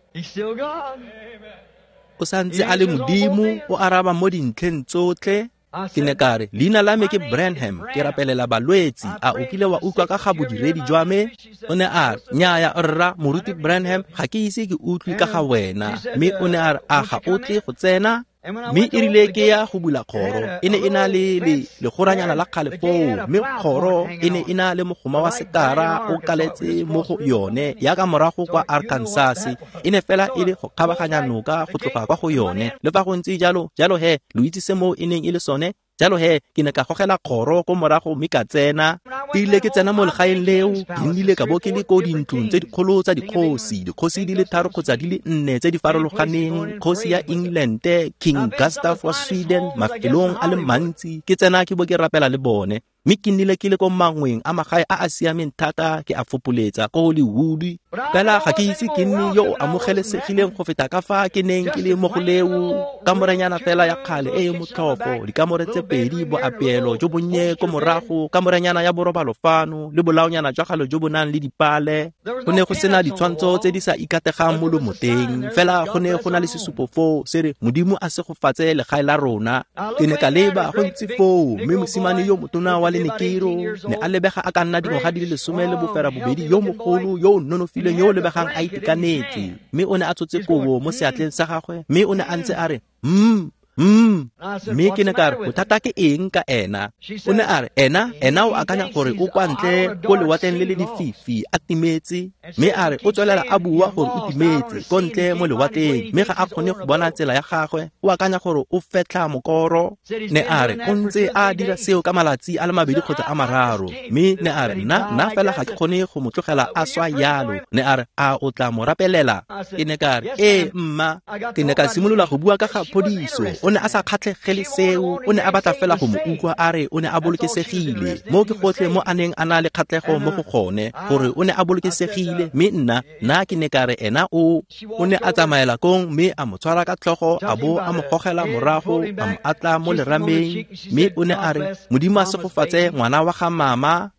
O santse a le Modimo, o araba mo dintlheng tsotlhe. Ke ne ka re, leina la me ke Branham, ke rapelela balwetsi. A o kile wa utlwa ka ga bodiredi jwa me? O ne a re, nnyaya rra, moruti Branham, ga ke ise ke utlwe ka ga wena. Mme o ne a re, a ga o tle go tsena? Mme e rile ke ya go bula kgoro, e ne e na le le legoranyana la kgale foo, mme kgoro e ne e na le mogoma wa sekara o kaletse mo go yone yaka morago kwa Arkansas. E ne fela e le go kgabaganya noka go tloga kwa go yone. Le fa go ntse jalo, jalo he, lo itse se moo e neng e le sone? Jalo he, ke ne ka gogela kgoro ko morago mme ka tsena. Ke ile ke tsena mo legaeng leo, ke nnile ka bo ke le ko dintlong tse dikgolo tsa dikgosi, dikgosi di le tharo kgotsa di le nne tse di farologaneng, kgosi ya England, King Gustav wa Sweden, mafelong a le mantsi, ke tsena ke bo ke rapela le bone. Mme ke nnile ke le ko mangweng a magae a a siameng thata ke a fopoletsa ko Hollywood. Fela ga ke itse ke nne yo o amogelesegileng go feta ka fa ke neng ke le mo go leo. Kamorenyana fela ya kgale e e motlhofo, dikamore tse pedi, boapeelo jo bonnye ko morago, kamorenyana ya borobalo fano, le bolaonyana jwa kgale jo bo nang le dipale. Go ne go sena ditshwantsho tse di sa ikategang mo lomoteng, fela go ne go na le sesupo foo se re Modimo a segofatse legae la rona. Ke ne ka leba go ntse foo, mme mosimane yo motona wa Lenekero ne a lebega a ka nna dingwaga di le lesome le boferabobedi, yo mogolo, yo o nonofileng, yo o lebegang a itekanetse, mme o ne a tshotse kobo mo seatleng sa gagwe, mme o ne a ntse a re mm mm. Mme ke ne ka re, bothata ke eng ka ena? O ne a re, ena ena o akanya gore o kwa ntle ko lewatleng le le lefifi a timetse, mme a re o tswelela a bua gore o timetse ko ntle mo lewatleng, mme ga a kgone go bona tsela ya gagwe, o akanya gore o fetlha mokoro. Ne a re o ntse a dira seo ka malatsi a le mabedi kgotsa a mararo, mme ne a re nna nna fela ga ke kgone go mo tlogela a swa yalo. Ne a re a o tla mo rapelela? Ke ne ka re ee mma. Ke ne ka simolola go bua ka ga phodiso. O ne a sa kgatlhegele seo, o ne a batla fela go mo utlwa a re o ne a bolokesegile. Mo ke gotlhe mo a neng a na le kgatlhego mo go gone, gore o ne a bolokesegile. Mme nna nna ke ne ka re ena o o ne a tsamaela kong mme a mo tshwara ka tlhogo, a bo a mo gogela morago, a mo atla mo lerameng, mme o ne a re Modimo a segofatse ngwana wa ga mama.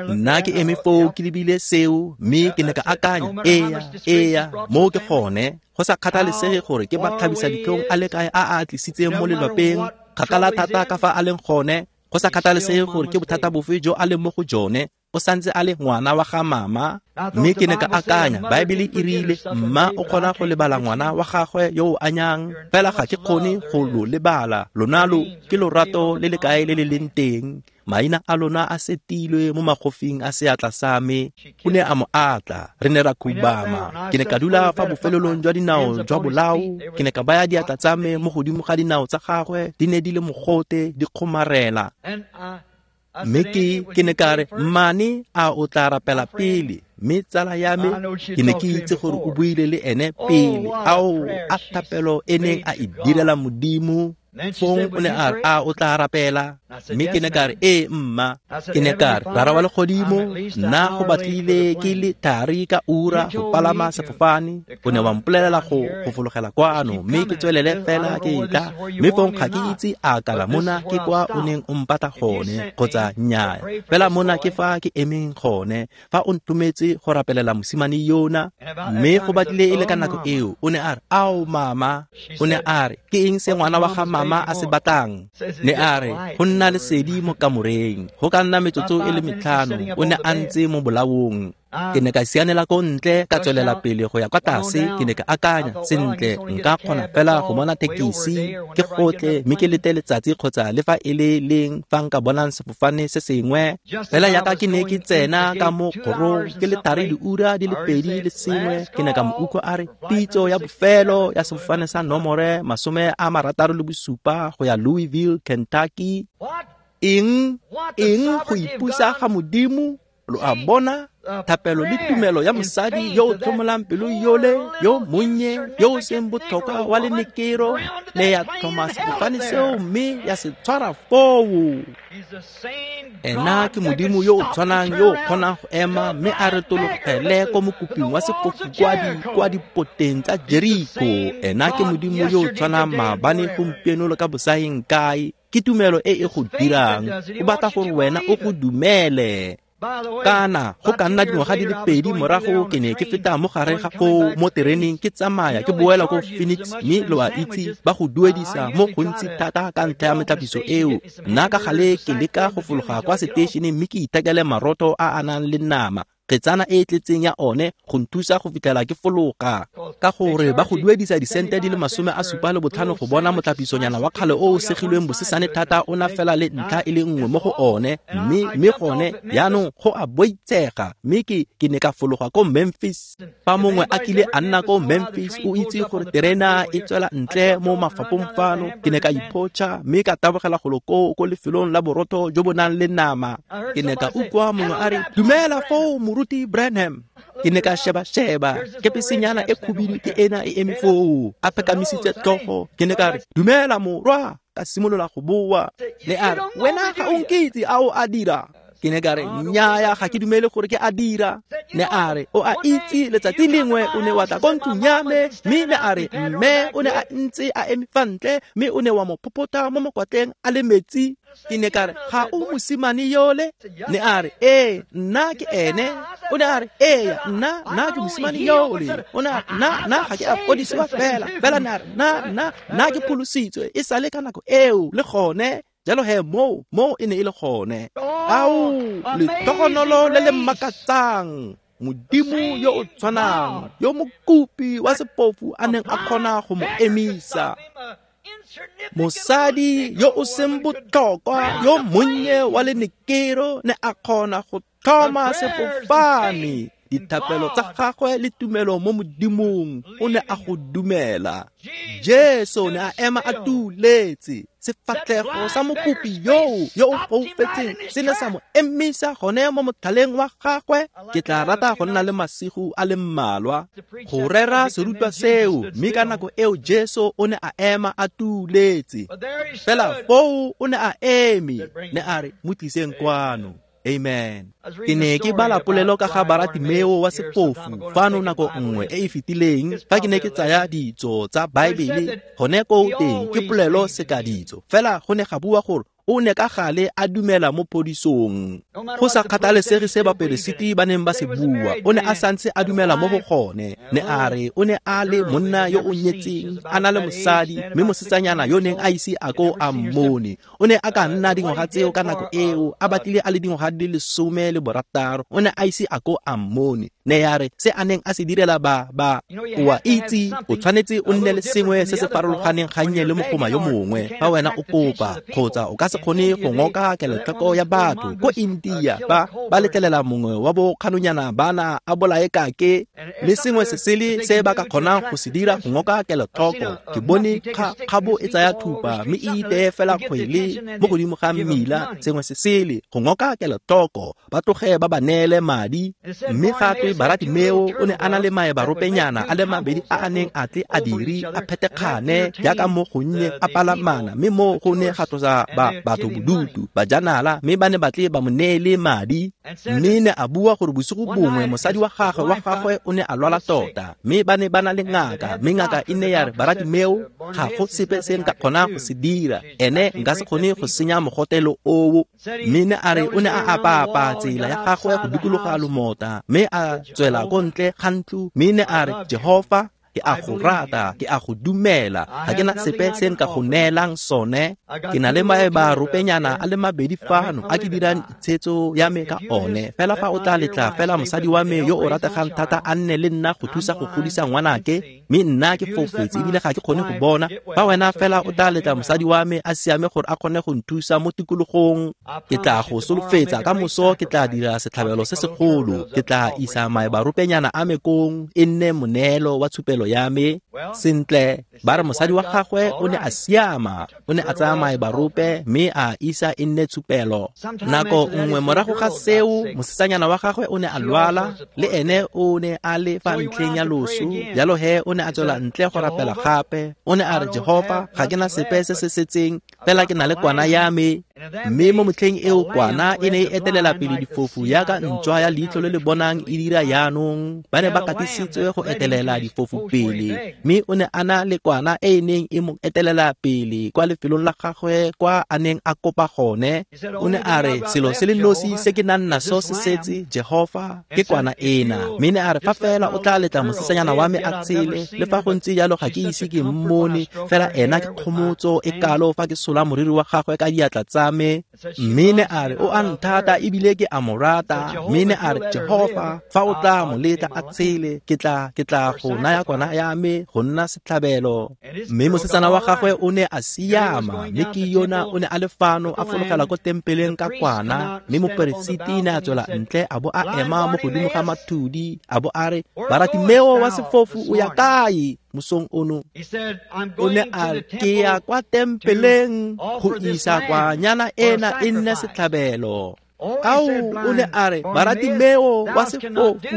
Nna ke eme foo ke lebile seo, mme ke ne ka akanya, eya eya, mo ke gone. Go sa kgathalesege gore ke matlhabisa ditlhong a le kae a a tlisitseng mo lelapeng, kgakala thata ka fa a leng gone, go sa kgathalesege gore ke bothata bofe jo a leng mo go jone, o santse a le ngwana wa ga mama. Mme ke ne ka akanya, Baebele e rile mma o kgona go lebala ngwana wa gagwe yo o anyang, fela ga ke kgone go lo lebala. Lona lo ke lorato le le kae le le leng teng, maina a lona a setilwe mo magofing a seatla sa me. O ne a mo atla, re ne ra khubama. Ke ne ka dula fa bofelelong jwa dinao jwa bolao, ke ne ka baya diatla tsa me mo godimo ga dinao tsa gagwe, di ne di le mogote, di kgomarela. Mme ke ke ne ka re, mmane a o tla rapela pele? Mme tsala ya me, ke ne ke itse gore o buile le ene pele. Ao, a thapelo e neng a e direla Modimo. Fong o ne a re, a o tla rapela? Mme ke ne ka re, ee mma. Ke ne ka re, Rara wa legodimo, nna go batlile ke le thari ka ura go palama sefofane. O ne wa mpolelela go go fologela kwano, mme ke tswelele fela ke tla. Mme fong ga ke itse a kana mona ke kwa o neng o mpata gone kgotsa nnyaa. Fela mona ke fa ke emeng gone, fa o ntumetse go rapelela mosimane yona. Mme go batlile e le ka nako eo, o ne a re, ao mama. O ne a re, ke eng se ngwana wa ga mama a se batlang? Ne a re, go nna lesedi mo kamoreng. Go ka nna metsotso e le metlhano, o ne a ntse mo bolaong. Ke ne ka sianela ko ntle, ka tswelela pele go ya kwa tlase. Ke ne ka akanya, sentle, nka kgona fela go bona tekisi, ke gotle mme ke lete letsatsi kgotsa le fa e le leng fa nka bonang sefofane se sengwe. Fela yaka ke ne ke tsena ka mo kgorong, ke le thari diura di le pedi le sengwe, ke ne ka mo utlwa a re, pitso ya bofelo ya sefofane sa nomore masome a marataro le bosupa go ya Louisville, Kentucky. Eng eng go ipusa ga Modimo? Lo a bona? Thapelo le tumelo ya mosadi yo o tlhomolang pelo yole, yo monnye, yo o seng botlhokwa wa lenekero, ne ya tlhoma sefofane seo mme ya se tshwara foo. Ena ke Modimo yo o tshwanang yo o kgonang go ema mme a retologele ko mokoping wa sefofu kwa di kwa dipoteng tsa Jeriko. Ena ke Modimo yo o tshwanang maabane, gompieno le ka bosaeng kae. Ke tumelo e e go dirang. O batla gore wena o go dumele. Kana go ka nna dingwaga di le pedi morago, ke ne ke feta mo gare ga foo mo tereneng ke tsamaya ke boela ko Phoenix, mme lo a itse ba go duedisa mo gontsi thata ka ntlha ya metlhapiso eo. Nna ka gale ke leka go fologa kwa seteišeneng mme ke ithekele maroto a a nang le nama. Kgetsana e e tletseng ya one go nthusa go fitlhela ke fologa. Ka gore ba go duedisa disente di le masome a supa le botlhano go bona motlapisonyana wa kgale o o segilweng bosesane thata o na fela le ntlha e le nngwe mo go one, mme mme gone jaanong go a boitsega. Mme ke ke ne ka fologa ko Memphis. Fa mongwe a kile a nna ko Memphis, o itse gore terena e tswela ntle mo mafapong fano. Ke ne ka iphotšha mme ka tabogela golo koo ko lefelong la borotho jo bo nang le nama. Ke ne ka utlwa mongwe a re, "Dumela foo, Moruti Branham." Ke ne ka sheba-sheba, kepesenyana e khubidu ke ena e eme foo, a phekamisitse tlhogo. Ke ne ka re, "Dumela morwa." Ka simolola go boa. Ne a re, "Wena ga o nkitse, a o a dira?" Ke ne ka re, "Nnyaya, ga ke dumele gore ke a dira." Ne a re, "O a itse, letsatsi lengwe o ne wa tla ko ntlong ya me." Mme ne a re, "Mme o ne a ntse a eme fa ntle, mme o ne wa mo phophotha mo mokwatleng a le metsi." Ke ne ka re, "Ga o mosimane yole?" Ne a re, "Ee, nna ke ene." O ne a re, "Ee, nna nna ke mosimane yole." O ne a re, "Nna nna ga ke a fodisiwa fela, fela ne a re, nna nna nna ke pholositswe e sale ka nako eo le gone." Jalo he moo moo e ne e le gone. Ao, letogonolo le le makatsang. Modimo yo o tshwanang, yo mokopi wa sepofu a neng a kgona go mo emisa. Mosadi yo o seng botlhokwa, yo monnye wa lenekero, ne a kgona go tlhoma sefofane. Dithapelo tsa gagwe le tumelo mo Modimong, o ne a go dumela. Jesu ne a ema a tuletse. Sefatlhego sa mokopi yoo yo o foufetseng se ne sa mo emisa gone mo motlhaleng wa gagwe. Ke tla rata go nna le masigo a le mmalwa go rera serutwa seo, mme ka nako eo Jesu o ne a ema a tuletse. Fela foo o ne a eme, ne a re, "Mo tliseng kwano." Amen. Ke ne ke bala polelo ka ga Baratimeo wa sepofu fano nako nngwe e e fetileng, fa ke ne ke tsaya ditso tsa Baebele. Gone koo teng ke polelo sekaditso, fela go ne ga bua gore o ne ka gale a dumela mo phodisong. Go sa kgathalesege se baperesiti ba neng ba se bua, o ne a santse a dumela mo go gone. Ne a re o ne a le monna yo o nyetseng, a na le mosadi, mme mosetsanyana yo neng a ise a ko a mmone. O ne a ka nna dingwaga tseo ka nako eo, a batlile a le dingwaga di le lesome le borataro, o ne a ise a ko a mmone. Ne ya re se a neng a se direla ba ba o a itse, o tshwanetse o nne le sengwe se se farologaneng gannye le mogoma yo mongwe fa wena o kopa, kgotsa o ka se kgone go ngoka kelotlhoko ya batho. Ko India ba ba letlelela mongwe wa bo kganonyana bana a bolae kake le sengwe se sele se ba ka kgonang go se dira go ngoka kelotlhoko. Ke bone kgabo e tsaya thupa mme e iteye fela kgwele mo godimo ga mmila, sengwe se sele go ngoka kelotlhoko, ba tloge ba ba neele madi. Mme gape Baratimeo o ne a na le maebaropenyana a le mabedi a a neng a tle a dire a phetekgane jaaka mo gonnye a palamana, mme mo go ne ga tlosa ba batho bodutu bajanala, mme ba ne ba tle ba mo neele madi. Mme ne a bua gore bosigo bongwe mosadi wa gagwe wa gagwe o ne a lwala tota, mme ba ne ba na le ngaka, mme ngaka e ne ya re, "Baratimeo, ga go sepe se nka kgonang go se dira, ene nka se kgone go senya mogotelo oo." Mme ne a re o ne a apaapa tsela ya gagwe go dikologa lomota, mme a tswela ko ntle ga ntlo, mme ne a re, "Jehofa, ke a go rata, ke a go dumela, ga ke na sepe se nka go neelang sone. Ke na le maebaropenyana a le mabedi fano a ke dirang itshetso ya me ka one. Fela fa o tla letla fela mosadi wa me yo o rategang thata a nne le nna go thusa go godisa ngwanake, mme nna ke foufetse ebile ga ke kgone go bona. Fa wena fela o tla letla mosadi wa me a siame gore a kgone go nthusa mo tikologong, ke tla go solofetsa ka moso ke tla dira setlhabelo se segolo. Ke tla isa maebaropenyana a me kong e nne moneelo wa tshupelo ya me." Sentle, ba re mosadi wa gagwe o ne a siama, o ne a tsaya maebarope mme a isa e nne tshupelo. Nako nngwe morago ga seo, mosetsanyana wa gagwe o ne a lwala, le ene o ne a le fa ntlheng ya loso. Jalo he o ne a tswela ntle go rapela gape. O ne a re, "Jehofa, ga ke na sepe se se setseng, fela ke na le kwana ya me." Mme mo motlheng eo kwana e ne e etelela pele difofu yaka ntšwa ya leitlho le le bonang e dira jaanong. Ba ne ba katisitswe go etelela difofu pele, mme o ne a na le kwana e e neng e mo etelela pele kwa lefelong la gagwe kwa a neng a kopa gone. O ne a re, "Selo se le nosi se ke nang naso se setse, Jehofa, ke kwana ena." Mme ne a re, "Fa fela o tla letla mosetsanyana wa me a tshele, le fa go ntse jalo ga ke ise ke mmone, fela ena ke kgomotso e kalo fa ke sola moriri wa gagwe ka diatla tsa tsa me. Mme ne a re o a nthata ebile ke a mo rata. Mme ne a re Jehofa fa o tla mo letla a tshele ke tla ke tla go naya kwana ya me go nna setlhabelo. Mme mosetsana wa gagwe o ne a siama, mme ke yona o ne a le fano a fologela ko tempeleng ka kwana, mme moperesiti ne a tswela ntle a bo a ema mo godimo ga mathudi a bo a re Baratimeo wa sefofu o ya kae mosong ono? O ne a re ke ya kwa tempeleng go isa kwanyana ena e nne setlhabelo. Ao, o ne a re Baratimeo wa sefofu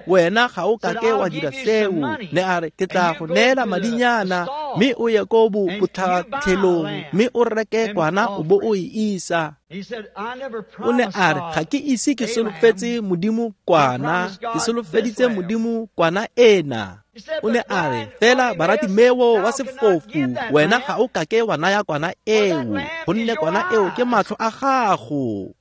wena ga o kake wa dira seo. Ne a re ke tla go neela madinyana mme o ye ko botlhatlhelong mme o reke kwana o bo o e isa. O ne a re ga ke ise ke solofetse Modimo kwana, ke solofeditse Modimo kwana ena. O ne a re fela Baratimeo wa sefofu wena ga o kake wa naya kwana eo, gonne kwana eo ke matlho a gago.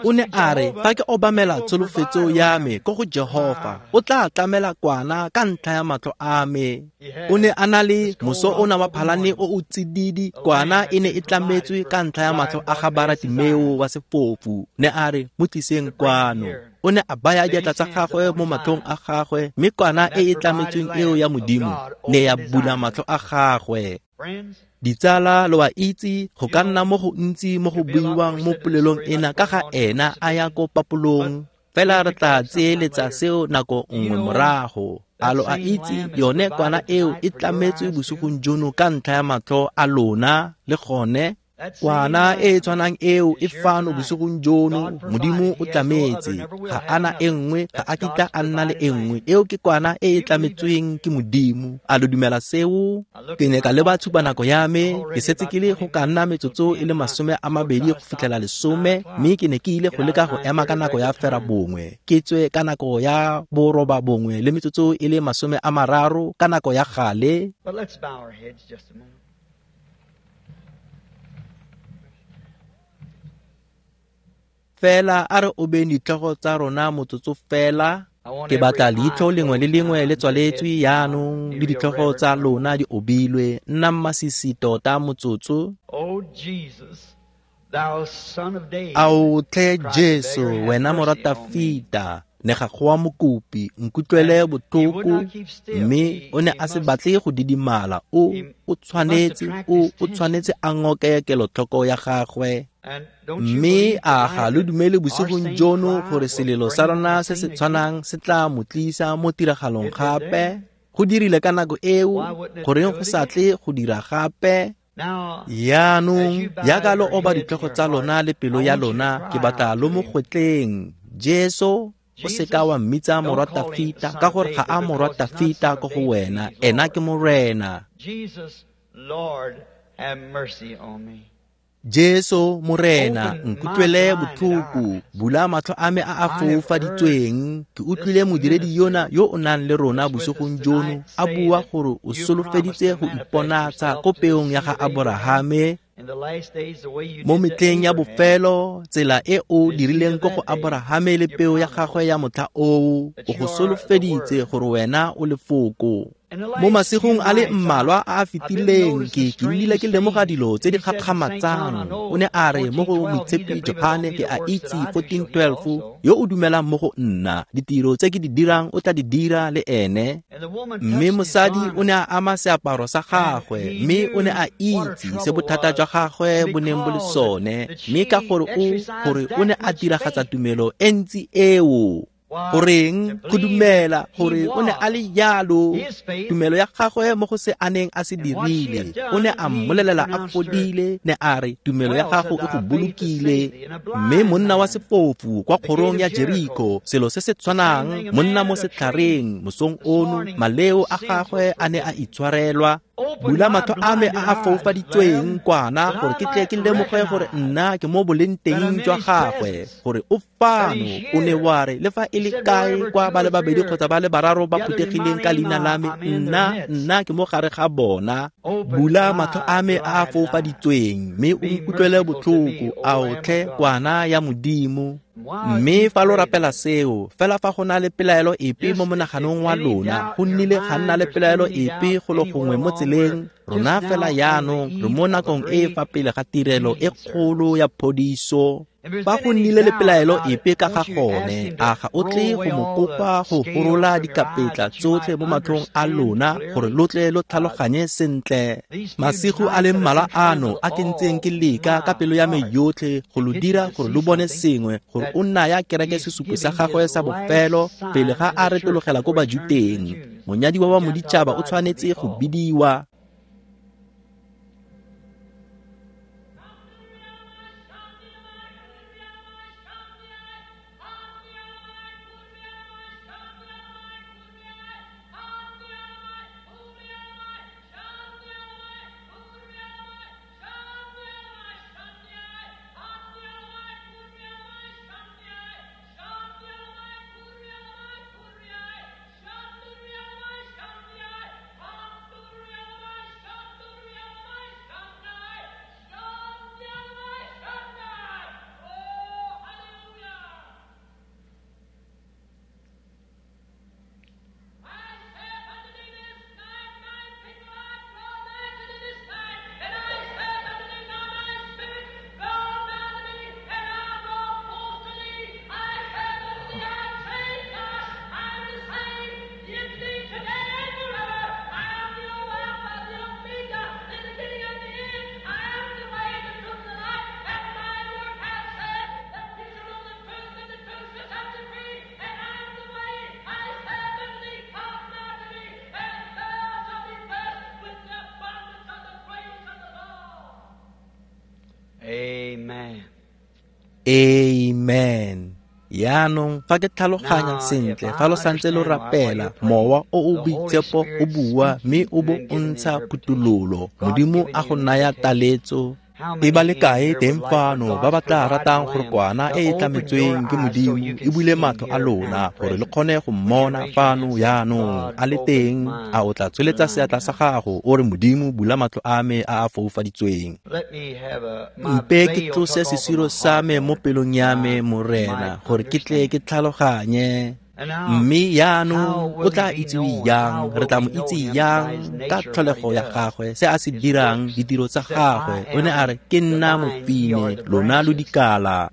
O ne a re fa ke obamela tsholofetso ya me ko go Jehofa, o tla tlamela kwana ka ntlha ya matlho a me. O ne a na le moso ona wa phalane o o tsididi, kwana e ne e tlametswe ka ntlha ya matlho a ga Baratimeo wa sefofu. Ne a re mo tliseng kwano. O ne a baya diatla tsa gagwe mo matlhong a gagwe, mme kwana e e tlametsweng eo ya Modimo ne ya bula matlho a gagwe. Ditsala, lo a itse go ka nna mo go ntsi mo go buiwang mo polelong ena ka ga ena a ya ko papolong, fela re tla tseeletsa seo nako nngwe morago. A lo a itse yone kwana eo e tlametswe bosigong jono ka ntlha ya matlho a lona le gone? Kwana e e tshwanang eo e fano bosigong jono, Modimo o tlametse, ga ana e nngwe, ga a kitla a nna le e nngwe. Eo ke kwana e e tlametsweng ke Modimo. A lo dumela seo? Ke ne ka leba tshupa nako ya me, ke setse ke le go ka nna metsotso e le masome a mabedi go fitlhela lesome, mme ke ne ke ile go leka go ema ka nako ya fera bongwe, ke tswe ka nako ya boroba bongwe le metsotso e le masome a mararo ka nako ya gale. Fela a re obeng ditlhogo tsa rona motsotso fela. Ke batla leitlho lengwe le lengwe le tswaletswe jaanong le ditlhogo tsa lona di obilwe. Nna mmasisi tota motsotso. Ao tlhe Jesu, wena morwa Tafita, ne ga goa mokopi, nkutlwele botlhoko. Mme o ne a se batle go didimala, o o tshwanetse o o tshwanetse a ngoke kelotlhoko ya gagwe. Mme a ga lo dumele bosigong jono gore selelo sa rona se se tshwanang se tla mo tlisa mo tiragalong gape? Go dirile ka nako eo, goreng go sa tle go dira gape? Yaanong jaaka lo oba ditlhogo tsa lona le pelo ya lona, ke batla lo mo gwetleng. Jesu, o seka wa mmitsa morwa Tafita, ka gore ga a morwa Tafita ko go wena, ena ke Morena. Jesu Morena, nkutlwele botlhoko, bula matlho a me a a foufaditsweng. Ke utlwile modiredi yona yo o nang le rona bosigong jono a bua gore o solofeditse go iponatsa ko peong ya ga Aborahame mo metlheng ya bofelo, tsela e o dirileng ko go Aborahame le peo ya gagwe ya motlha oo, o go solofeditse gore wena o lefoko. Mo masigong a le mmalwa a a fetileng ke ke nnile ke lemoga dilo tse di gakgamatsang. O ne a re mo go Moitshepi Johane, ke a itse fourteen twelve, yo o dumelang mo go nna, ditiro tse ke di dirang o tla di dira le ene. Mme mosadi o ne a ama seaparo sa gagwe, mme o ne a itse se bothata jwa gagwe bo neng bo le sone, mme ka gore o gore o ne a diragatsa tumelo e ntsi eo. Goreng go dumela gore o ne a le jalo, tumelo ya gagwe mo go se a neng a se dirile, o ne a mmolelela a fodile, ne a re tumelo ya gago e go bolokile. Mme monna wa sefofu kwa kgorong ya Jeriko, selo se se tshwanang, monna mo setlhareng mosong ono, maleo a gagwe a ne a itshwarelwa. Bula matlho a me a a foufaditsweng kwana, gore ke tle ke lemoge gore nna ke mo boleng teng jwa gagwe, gore o fano. O ne wa re le fa e le kae kwa ba le babedi kgotsa ba le bararo ba phuthegileng ka leina la me, nna nna ke mo gare ga bona. Bula matlho a me a a foufaditsweng, mme o nkutlwele botlhoko, ao tlhe kwana ya Modimo. Mme fa lo rapela seo, fela fa go na le pelaelo epe mo monaganong wa lona, go nnile ga nna le pelaelo epe go lo gongwe mo tseleng, rona fela jaanong re mo nakong e e fa pele ga tirelo e kgolo ya phodiso. Fa go nnile le pelaelo epe ka ga gone, a ga o tle go mo kopa go gorola dikapetla tsotlhe mo matlhong a lona gore lo tle lo tlhaloganye sentle. Masigo a le mmalwa ano a ke ntseng ke leka ka pelo ya me yotlhe go lo dira gore lo bone sengwe, gore o naya kereke sesupo sa gagwe sa bofelo pele ga a retologela ko Bajuteng. Monyadiwa wa moditšhaba o tshwanetse go bidiwa. Amen. Amen. Jaanong fa ke tlhaloganya sentle, fa lo santse lo rapela, mowa o o boitshepo o bua mme o bo o ntsha phuthololo. Modimo a go naya taletso. E ba le kae teng fano ba ba tla ratang gore kwana e e tlametsweng ke Modimo e bule matlho a lona gore le kgone go mmona fano jaanong a le teng? A o tla tsweletsa seatla sa gago o re, Modimo, bula matlho a me a a foufaditsweng. Mpe ke tlose sesiro sa me mo pelong ya me, Morena, gore ke tle ke tlhaloganye. Mme jaanong o tla itsiwe jang? Re tla mo itse jang ka tlholego ya gagwe, se a se dirang, ditiro tsa gagwe? O ne a re, ke nna mofine, lona lo dikala.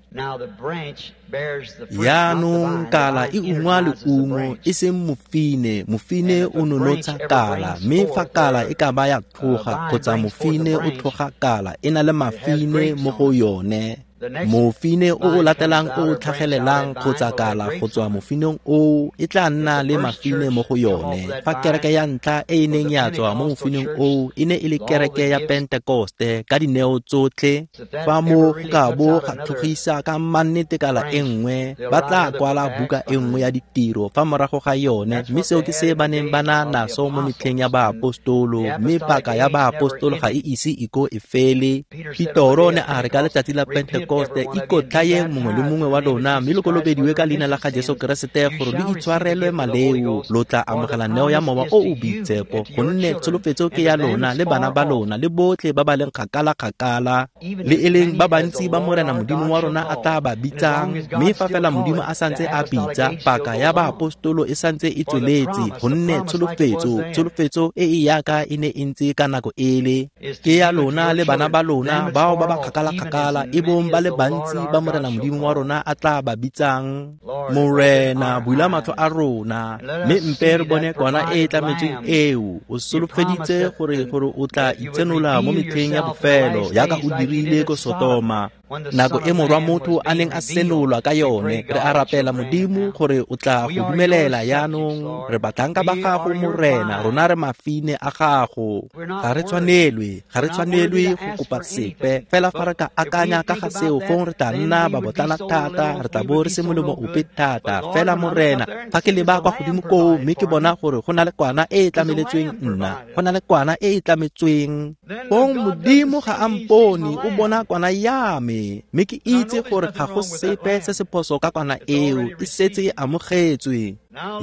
Jaanong kala e ungwa leungo, e seng mofine. Mofine o nonotsha kala, mme fa kala e ka ba ya tlhoga kgotsa mofine o tlhoga kala, e na le mafine mo go yone. Mofine o o latelang o o tlhagelelang kgotsa kala go tswa mofineng oo e tla nna le mafine mo go yone. Fa kereke ya ntlha e e neng ya tswa mo mofineng oo e ne e le kereke ya Pentekoste ka dineo tsotlhe, fa mo go ka bo ga tlhogisa ka mannete kala e nngwe, ba tla kwala buka e nngwe ya ditiro fa morago ga yone. Mme seo ke se ba neng ba na naso mo metlheng ya baapostolo, mme paka ya baapostolo ga e ise e ko e fele. Petoro ne a re ka letsatsi la Pentekoste, ikotlhayeng mongwe le mongwe wa lona mme lo kolobediwe ka leina la ga Jesu Keresete gore lo itshwarelwe maleo, lo tla amogela neo ya mowa o o boitshepo, gonne tsholofetso ke ya lona le bana ba lona le botlhe ba ba leng kgakala-kgakala, le e leng ba bantsi ba Morena Modimo wa rona a tla ba bitsang. Mme fa fela Modimo a santse a bitsa, paka ya baapostolo e santse e tsweletse, gonne tsholofetso tsholofetso e e yaka e ne e ntse ka nako ele ke ya lona le bana ba lona bao ba ba kgakala-kgakala, e bong ba le bantsi ba Morena Modimo wa rona a tla ba bitsang. Morena, bula matlho a rona mme mpe re bone kwana e e tlametsweng eo. O solofeditse gore gore o tla itsenola mo metlheng ya bofelo yaka o dirile ko Sotoma, nako e morwa motho a neng a senolwa ka yone. Re a rapela Modimo gore o tla go dumelela jaanong. Re batlhanka ba gago, Morena, rona re mafine a gago. Ga re tshwanelwe, ga re tshwanelwe go kopa sepe. Fela fa re ka akanya ka ga seo, fong re tla nna babotlana thata, re tla bo re se molemo ope thata. Fela Morena, fa ke leba kwa godimo koo mme ke bona gore go na le kwana e e tlameletsweng nna, go na le kwana e e tlametsweng, fong Modimo ga a mpone, o bona kwana ya me, mme ke itse gore ga go sepe se se phoso ka kwana eo, e setse e amogetswe.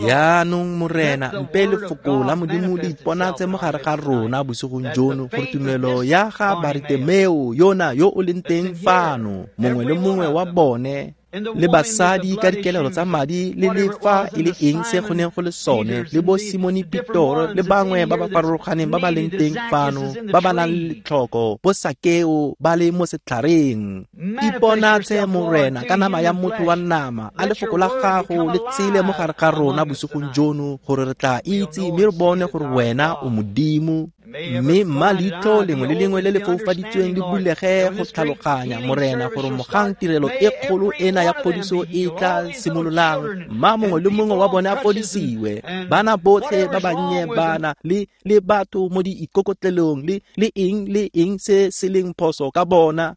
Jaanong Morena, mpe lefoko la Modimo le iponatse mo gare ga rona bosigong jono, gore tumelo ya ga Baritemeo yona yo o leng teng fano, mongwe le mongwe wa bone, Le basadi ka dikelelo tsa madi le le fa e le eng se go neng go le sone, le bo Simone Petoro le bangwe ba ba farologaneng ba ba leng teng fano, ba ba nang le letlhoko, bo Sakeo ba le mo setlhareng. Iponatshe Morena ka nama ya motho wa nama, a lefoko la gago le tshele mo gare ga rona bosigong jono, gore re tla itse mme re bone gore wena o Modimo. Mme mma leitlho lengwe le lengwe le le foufaditsweng le bulege go tlhaloganya, Morena, gore mogang tirelo e kgolo ena ya phodiso e tla simololang, mma mongwe le mongwe wa bone a fodisiwe. Bana botlhe ba bannye bana le le batho mo diikokotlelong le le eng le eng se se leng phoso ka bona.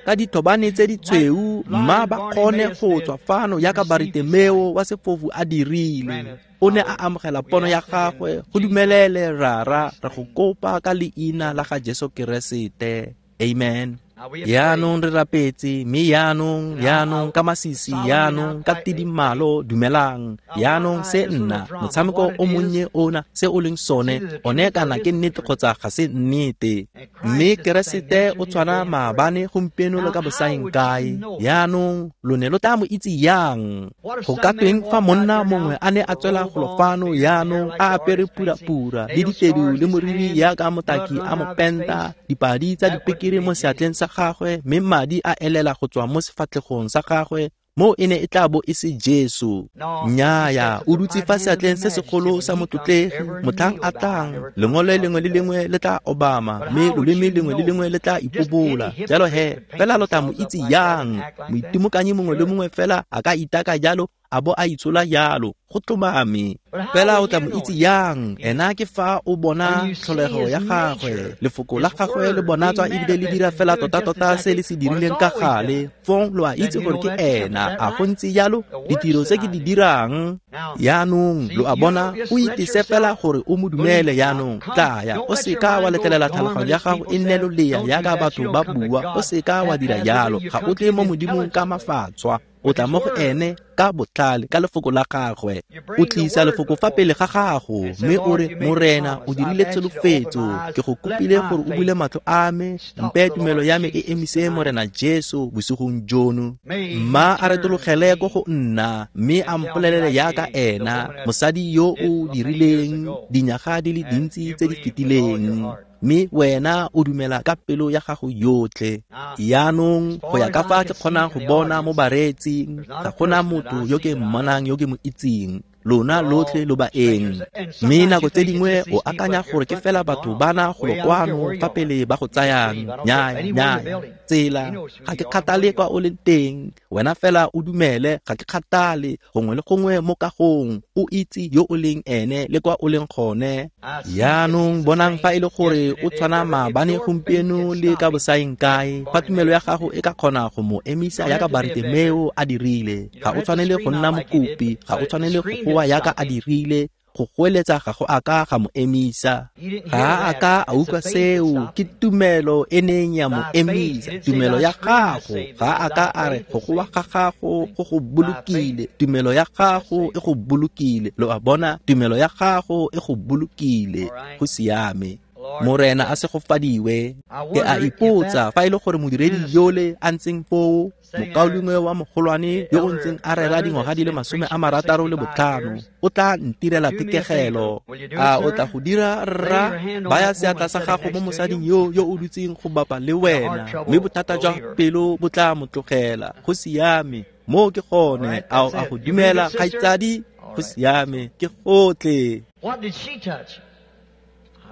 Ka dithobane tse ditshweu, mma ba kgone go tswa fano yaka Bartimeo wa sefofu a dirile. O ne a amogela pono ya gagwe. Go dumelele, Rara, re go kopa ka leina la ga Jesu Keresete. Amen. Yaanong re rapetse, mme yaanong, yaanong ka masisi, yaanong ka tidimalo, dumelang. Yaanong se nna motshameko o monnye ona, se o leng sone, one kana ke nnete kgotsa ga se nnete. Mme Keresete o tshwana maabane, gompieno le ka bosaeng kae. Yaanong lo ne lo tla mo itse yang? Go ka tweng fa monna mongwe a ne a tswela golo fano yaanong a apere purapura le ditedu le moriri yaka motaki a mo penta, dipadi tsa dipekere mo seatleng sa gagwe, mme madi a elela go tswa mo sefatlhegong sa gagwe, mo e ne e tla bo e se Jesu. Nnyaya, o dutse fa seatleng se segolo sa motlotlegi, motlhang a tlang, lengole lengwe le lengwe le tla obama, mme loleme lengwe le lengwe le tla ipobola. Jalo he, fela lo tla mo itse yang? Moitimokanyi mongwe le mongwe fela a ka itaka jalo, a bo a itshola jalo, go tlhomame. Fela o tla mo itse yang? Ena ke fa o bona tlholego ya gagwe, lefoko la gagwe le bonatswa ebile le dira fela tota-tota se le se dirileng ka gale. Fong lo a itse gore ke ena. A go ntse jalo? Ditiro tse ke di dirang yaanong, lo a bona, o itese fela gore o mo dumele yaanong. Tlaya, o seka wa letlelela tlhaloganyo ya gago e nne lolea yaka batho ba bua. O seka wa dira jalo. Ga o tle mo Modimong ka mafatshwa, o tla mo go ene ka botlhale, ka lefoko la gagwe. O tlisa lefoko fa pele ga gago, mme o re, Morena, o dirile tsholofetso, ke go kopile gore o bule matlho a me, mpe tumelo ya me e emise Morena Jesu bosigong jono. Mma a retologele ko go nna, mme a mpolelele yaka ena, mosadi yo o dirileng dinyaga di le dintsi tse di fetileng, mme wena o dumela ka pelo ya gago yotlhe. Yaanong go ya ka fa ke kgonang go bona mo bareetsing, ga gona motho yo ke mmonang yo ke mo itseng. Lona lotlhe lo baeng. Mme nako tse dingwe o akanya gore ke fela batho bana golo kwano fa pele ba go tsayang. Nnyaya, nnyaya, tsela, ga ke kgathale kwa o leng teng, wena fela o dumele. Ga ke kgathale gongwe le gongwe mo kagong, o itse yo o leng ene le kwa o leng gone. Yaanong bonang fa e le gore o tshwana maabane, gompieno le ka bosaeng kae. Fa tumelo ya gago e ka kgona go mo emisa yaka Bartimeo a dirile, ga o tshwanele go nna mokopi, ga o tshwanele go goa yaka a dirile. Go goeletsa ga go aka ga mo emisa. Ga a ka a utlwa seo, ke tumelo e neng ya mo emisa. Tumelo ya gago, ga a ka a re go goa ga gago go go bolokile. Tumelo ya gago e go bolokile. Lo a bona, tumelo ya gago e go bolokile. Go siame. Morena a segofadiwe. Ke a ipotsa fa e le gore modiredi yole a ntseng foo, mokaulengwe wa mogolwane yo o ntseng a rera dingwaga di le masome a marataro le botlhano, o tla ntirela thekegelo. A o tla go dira, rra? Baya seatla sa gago mo mosading yo yo o dutseng go bapa le wena, mme bothata jwa pelo bo tla mo tlogela. Go siame, moo ke gone. A o a go dumela, kgaitsadi? Go siame, ke gotlhe. What did she touch?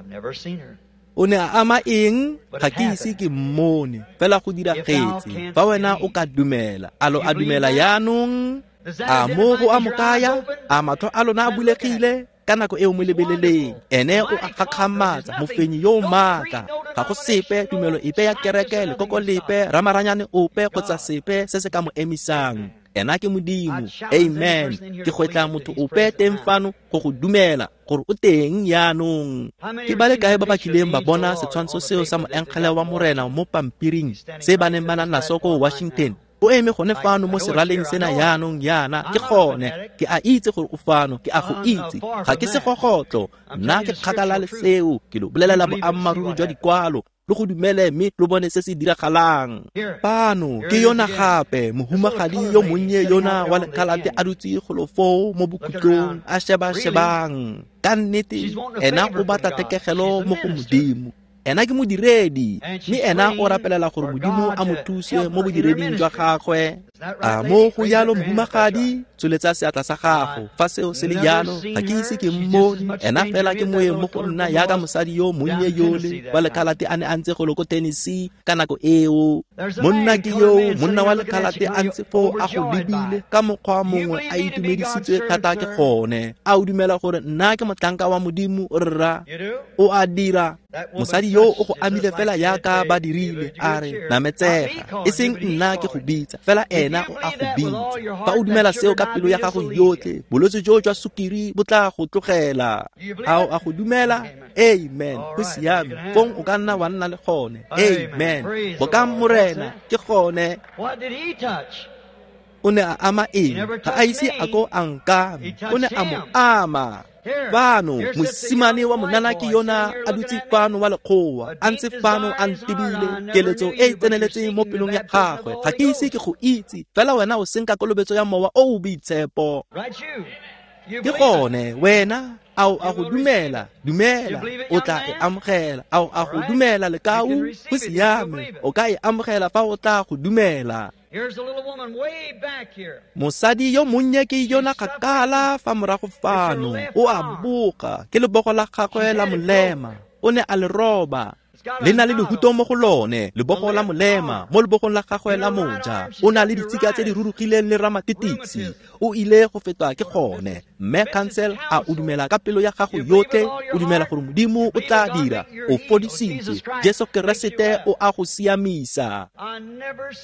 I've never seen her. O ne a ama eng? Ga ke ise ke mmone, fela go diragetse. Fa wena o ka dumela, a lo a dumela yaanong? A mo go a mo kaya? A matlho a lona a bulegile? Ka nako eo mo lebeleleng, ene o a gakgamatsa, mofenyi yo o maatla. Ga go sepe, tumelo epe ya kereke, lekoko lepe, ramaranyane ope kgotsa sepe se se ka mo emisang. Ena ke Modimo. Amen. Ke gwetla motho ope teng fano go go dumela gore o teng yaanong. Ke ba le kae ba ba kileng ba bona setshwantsho seo sa moengele wa Morena mo pampiring se ba neng ba na naso ko Washington? O eme gone fano mo seraleng sena yaanong yana. Ke gone, ke a itse gore o fano, ke a go itse. Ga ke segogotlo, nna ke kgakala le seo. Ke lo bolelela boammaaruri jwa dikwalo. Lo go dumele mme lo bone se se diragalang. Fano ke yona gape mohumagadi yo monnye yona wa lekhalate a dutse golo foo mo bokhutlong a sheba-shebang. Ka nnete ena o batla thekegelo mo go Modimo. Ena ke modiredi, mme ena o rapelela gore Modimo a mo thuse mo bodireding jwa gagwe. A mo go jalo mohumagadi, tsholetsa seatla sa gago. Fa seo se le jalo, ga ke ise ke mmone. Ena fela ke moeng mo go nna jaaka mosadi yo monnye yole wa lekhalate a ne a ntse golo ko Tennessee ka nako eo. Monna ke yoo, monna wa lekhalate a ntse foo a go lebile ka mokgwa mongwe a itumedisitswe thata ke gone. A o dumela gore nna ke motlhanka wa Modimo, rra? O a dira. Mosadi yo o go amile fela jaaka ba dirile, a re nametsega, e seng nna ke go bitsa, fela ena o a go bitsa. Fa o dumela seo ka pelo ya gago yotlhe, bolwetse jo jwa sukiri bo tla go tlogela. A o a go dumela? Amen. Go siame. Fong o ka nna wa nna le gone. Amen. Bokang Morena, ke gone. O ne a ama eng? Ga a ise a ko a nkame. O ne a mo ama. Fano mosimane wa monana ke yona a dutse fano wa lekgowa, a ntse fano a ntebile, keletso e e tseneletseng mo pelong ya gagwe. Ga ke ise ke go itse, fela wena o senka kolobetso ya Mowa o o Boitshepo. Ke gone wena, a o a go dumela? Dumela, o tla e amogela. A o a go dumela lekau? Go siame, o ka e amogela fa o tla go dumela. Mosadi yo monnye ke yona kgakala fa morago fano, o a boga, ke lebogo la gagwe la molema, o ne a le roba. Le na le lehuto mo go lone, lebogo la molema, mo lebogong la gagwe la moja. O na le ditshika tse di rurugileng le ramatitisi. O ile go fetwa ke gone. Mme Council, a o dumela ka pelo ya gago yotlhe? O dumela gore Modimo o tla dira? O fodisitswe. Jesu Keresete o a go siamisa.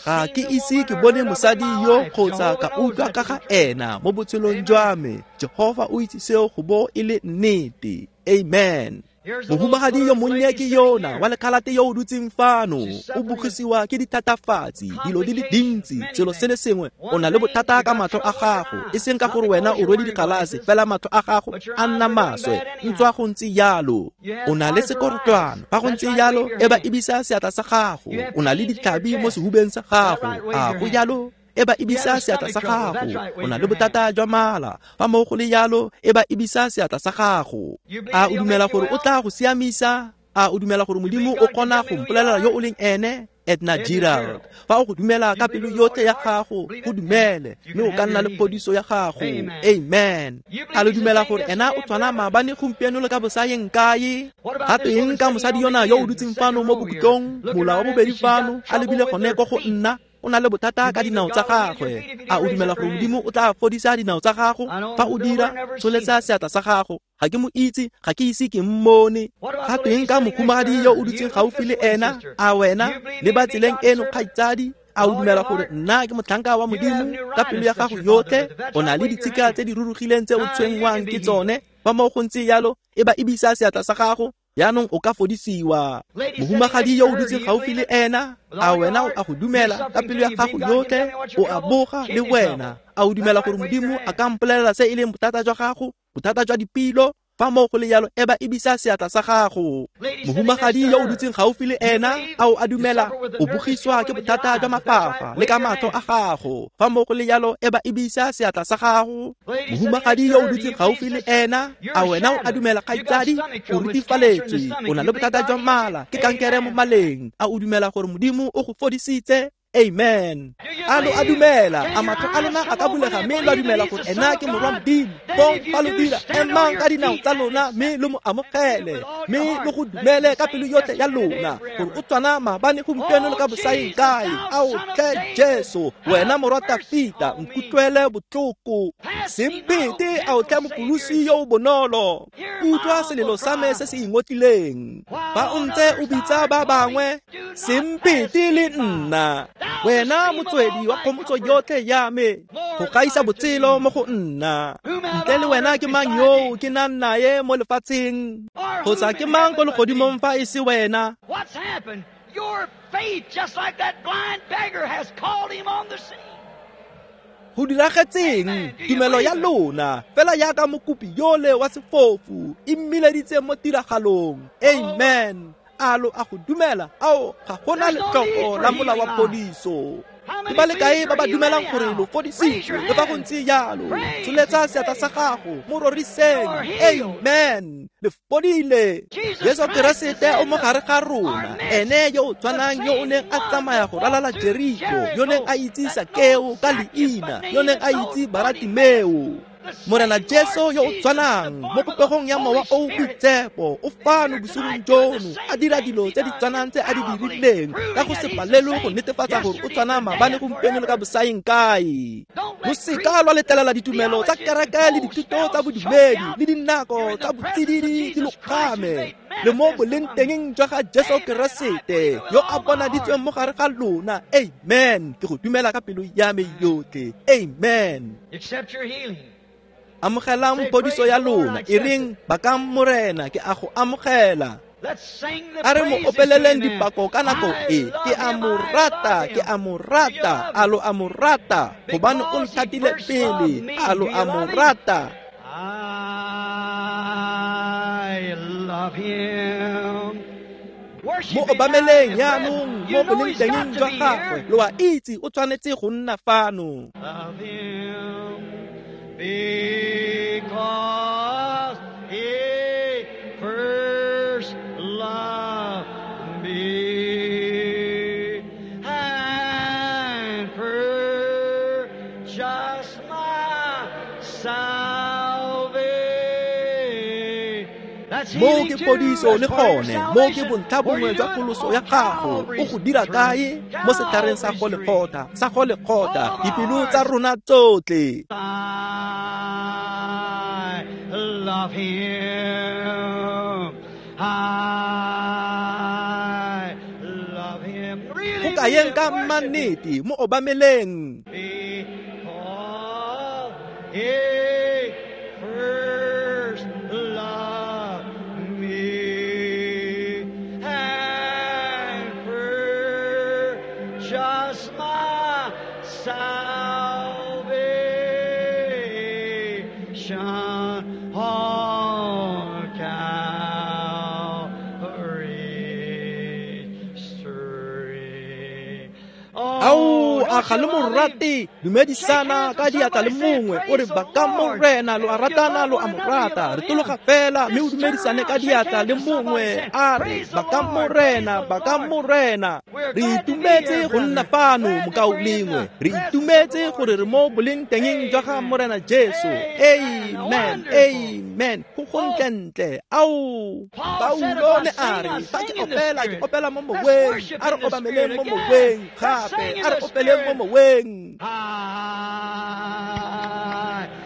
Ga ke ise ke bone mosadi yo kgotsa ka utlwa ka ga ena mo botshelong jwa me. Jehofa o itse seo go bo e le nnete. Amen. Mohumagadi yo monnye ke yona wa lekhalate yo o dutseng fano, o bogisiwa ke dithatafatsi, dilo di le dintsi, selo se le sengwe. O na le bothata ka matlho a gago, e seng ka gore wena o rwele digalase, fela matlho a gago a nna maswe, ntswa go ntse jalo. O na le sekorotlwana, fa go ntse jalo e ba ebisa seatla sa gago. O na le ditlhabi mo sehubeng sa gago, a go jalo? E ba ebisa seatla sa gago. O na le bothata jwa mala, fa mo go le jalo e ba ebisa seatla sa gago. A o dumela gore o tla go siamisa? A o dumela gore Modimo o kgona go mpolelela yo o leng ene? Edna Gerald. Fa o go dumela ka pelo yotlhe ya gago, go dumele, mme o ka nna le phodiso ya gago. Amen. A lo dumela gore ena o tshwana maabane, gompieno le ka bosayeng kae? Gape eng ka mosadi yona yo o dutseng fano mo bokhutlong, mola wa bobedi fano, a lebile gone ko go nna? O na le bothata ka dinao tsa gagwe. A o dumela gore Modimo o tla fodisa dinao tsa gago? Fa o dira, tsholetsa seatla sa gago. Ga ke mo itse, ga ke ise ke mmone. Ga tweng ka mohumagadi yo o dutseng gaufi le ena? A wena le ba tseleng eno, kgaitsadi? A o dumela gore nna ke motlhanka wa Modimo ka pelo ya gago yotlhe? O na le ditshika tse di rurugileng tse o tshwenngwang ke tsone. Fa mo go ntse jalo, e ba ebisa seatla sa gago. Jaanong o ka fodisiwa. Mohumagadi yo o dutseng gaufi le ena, a wena o a go dumela ka pelo ya gago yotlhe? O a boga le wena. A o dumela gore Modimo a ka mpolelela se e leng bothata jwa gago, bothata jwa dipilo? Fa mo go le jalo, e ba ebisa seatla sa gago. Mohumagadi yo o dutseng gaufi le ena, a o a dumela? O bogiswa ke bothata jwa mafafa le ka matlho a gago. Fa mo go le jalo, e ba ebisa seatla sa gago. Mohumagadi yo o dutseng gaufi le ena, a wena o a dumela, kgaitsadi? O rutifaletswe, o na le bothata jwa mala, ke kankere mo maleng. A o dumela gore Modimo o go fodisitse? Amen. A lo a dumela? A matlho a lona a ka bulega mme lo a dumela gore ena ke morwa Modimo? Fong fa lo dira, emang ka dinao tsa lona mme lo mo amogele, mme lo go dumele ka pelo yotlhe ya lona gore o tshwana maabane, gompieno le ka bosayeng kae. Ao tlhe Jesu, wena morwa Tafita, nkutlwele botlhoko. Sempete, ao tlhe Mopholosi yo o bonolo, utlwa selelo sa me se se ingotlileng. Fa o ntse o bitsa ba bangwe, sempete le nna. Wena motswedi wa kgomotso yotlhe ya me, go gaisa botshelo mo go nna. Ntle le wena ke mang yo ke nang naye mo lefatsheng? Kgotsa ke mang ko legodimong fa e se wena? Your faith, just like that blind beggar, has called him on the scene. Go diragetseng tumelo ya lona fela jaaka mokopi yole wa sefofu e mmileditse mo tiragalong. Amen. A lo a go dumela? Ao, ga gona letlhoko la mola wa phodiso. Ke ba le kae ba ba dumelang gore lo fodisitswe? Le ba go ntse jalo. Tsholetsa seatla sa gago, mo roriseng. Amen. Le fodile. Jesu Keresete o mo gare ga rona, ene yo o tshwanang yo o neng a tsamaya go ralala Jeriko, yo neng a itse Sakeo ka leina, yo neng a itse Baratimeo. Morena Jesu yo o tshwanang mo popegong ya mowa o o boitshepo o fano bosigong jono, a dira dilo tse di tshwanang tse a di dirileng ka go se palelwe go netefatsa gore o tshwana maabane, gompieno le ka bosaeng kae. Lo seka lwa letlelela ditumelo tsa kereke le dithuto tsa bodumedi le dinako tsa botsididi di lo kgame. Le mo boleng tengeng jwa ga Jesu Keresete yo a bonaditsweng mo gare ga lona. Amen. Ke go dumela ka pelo ya me yotlhe. Amen. Accept your healing. Amogelang phodiso ya lona. E reng bakang Morena, ke a go amogela. A re mo opeleleng dipako ka nako e. Ke a mo rata, ke a mo rata, a lo a mo rata, gobane o nthatile pele. A lo a mo rata. I love him. Mo obameleng jaanong mo boleng tengeng jwa gagwe. Lo a itse o tshwanetse go nna fano. Love him. Because he first loved me and purchased my salvation. Mo ke phodiso le gone, mo ke bontlha bongwe jwa pholoso ya gago. O go dira kae? Mo setlhareng sa Golgotha, sa Golgotha, dipelo tsa rona tsotlhe. I love him. I love him. Go kayeng ka mannete, mo obameleng. Because he first loved me and purchased my salvation on Calvary's tree. Ao, a ga le mo rate? Dumedisana ka diatla le mongwe, o re bakang Morena, lo a ratana, lo a mo rata. Re tologa fela mme o dumedisane ka diatla le mongwe, a re bakang Morena, bakang Morena. Re itumetse go nna fano, mokaulengwe. Re itumetse gore re mo boleng tengeng jwa ga Morena Jesu. Amen, amen. Go gontlentle. Ao, Paulo ne a re fa ke opela, ke opela mo moweng. A re obameleng mo moweng gape, a re opeleng mo moweng. I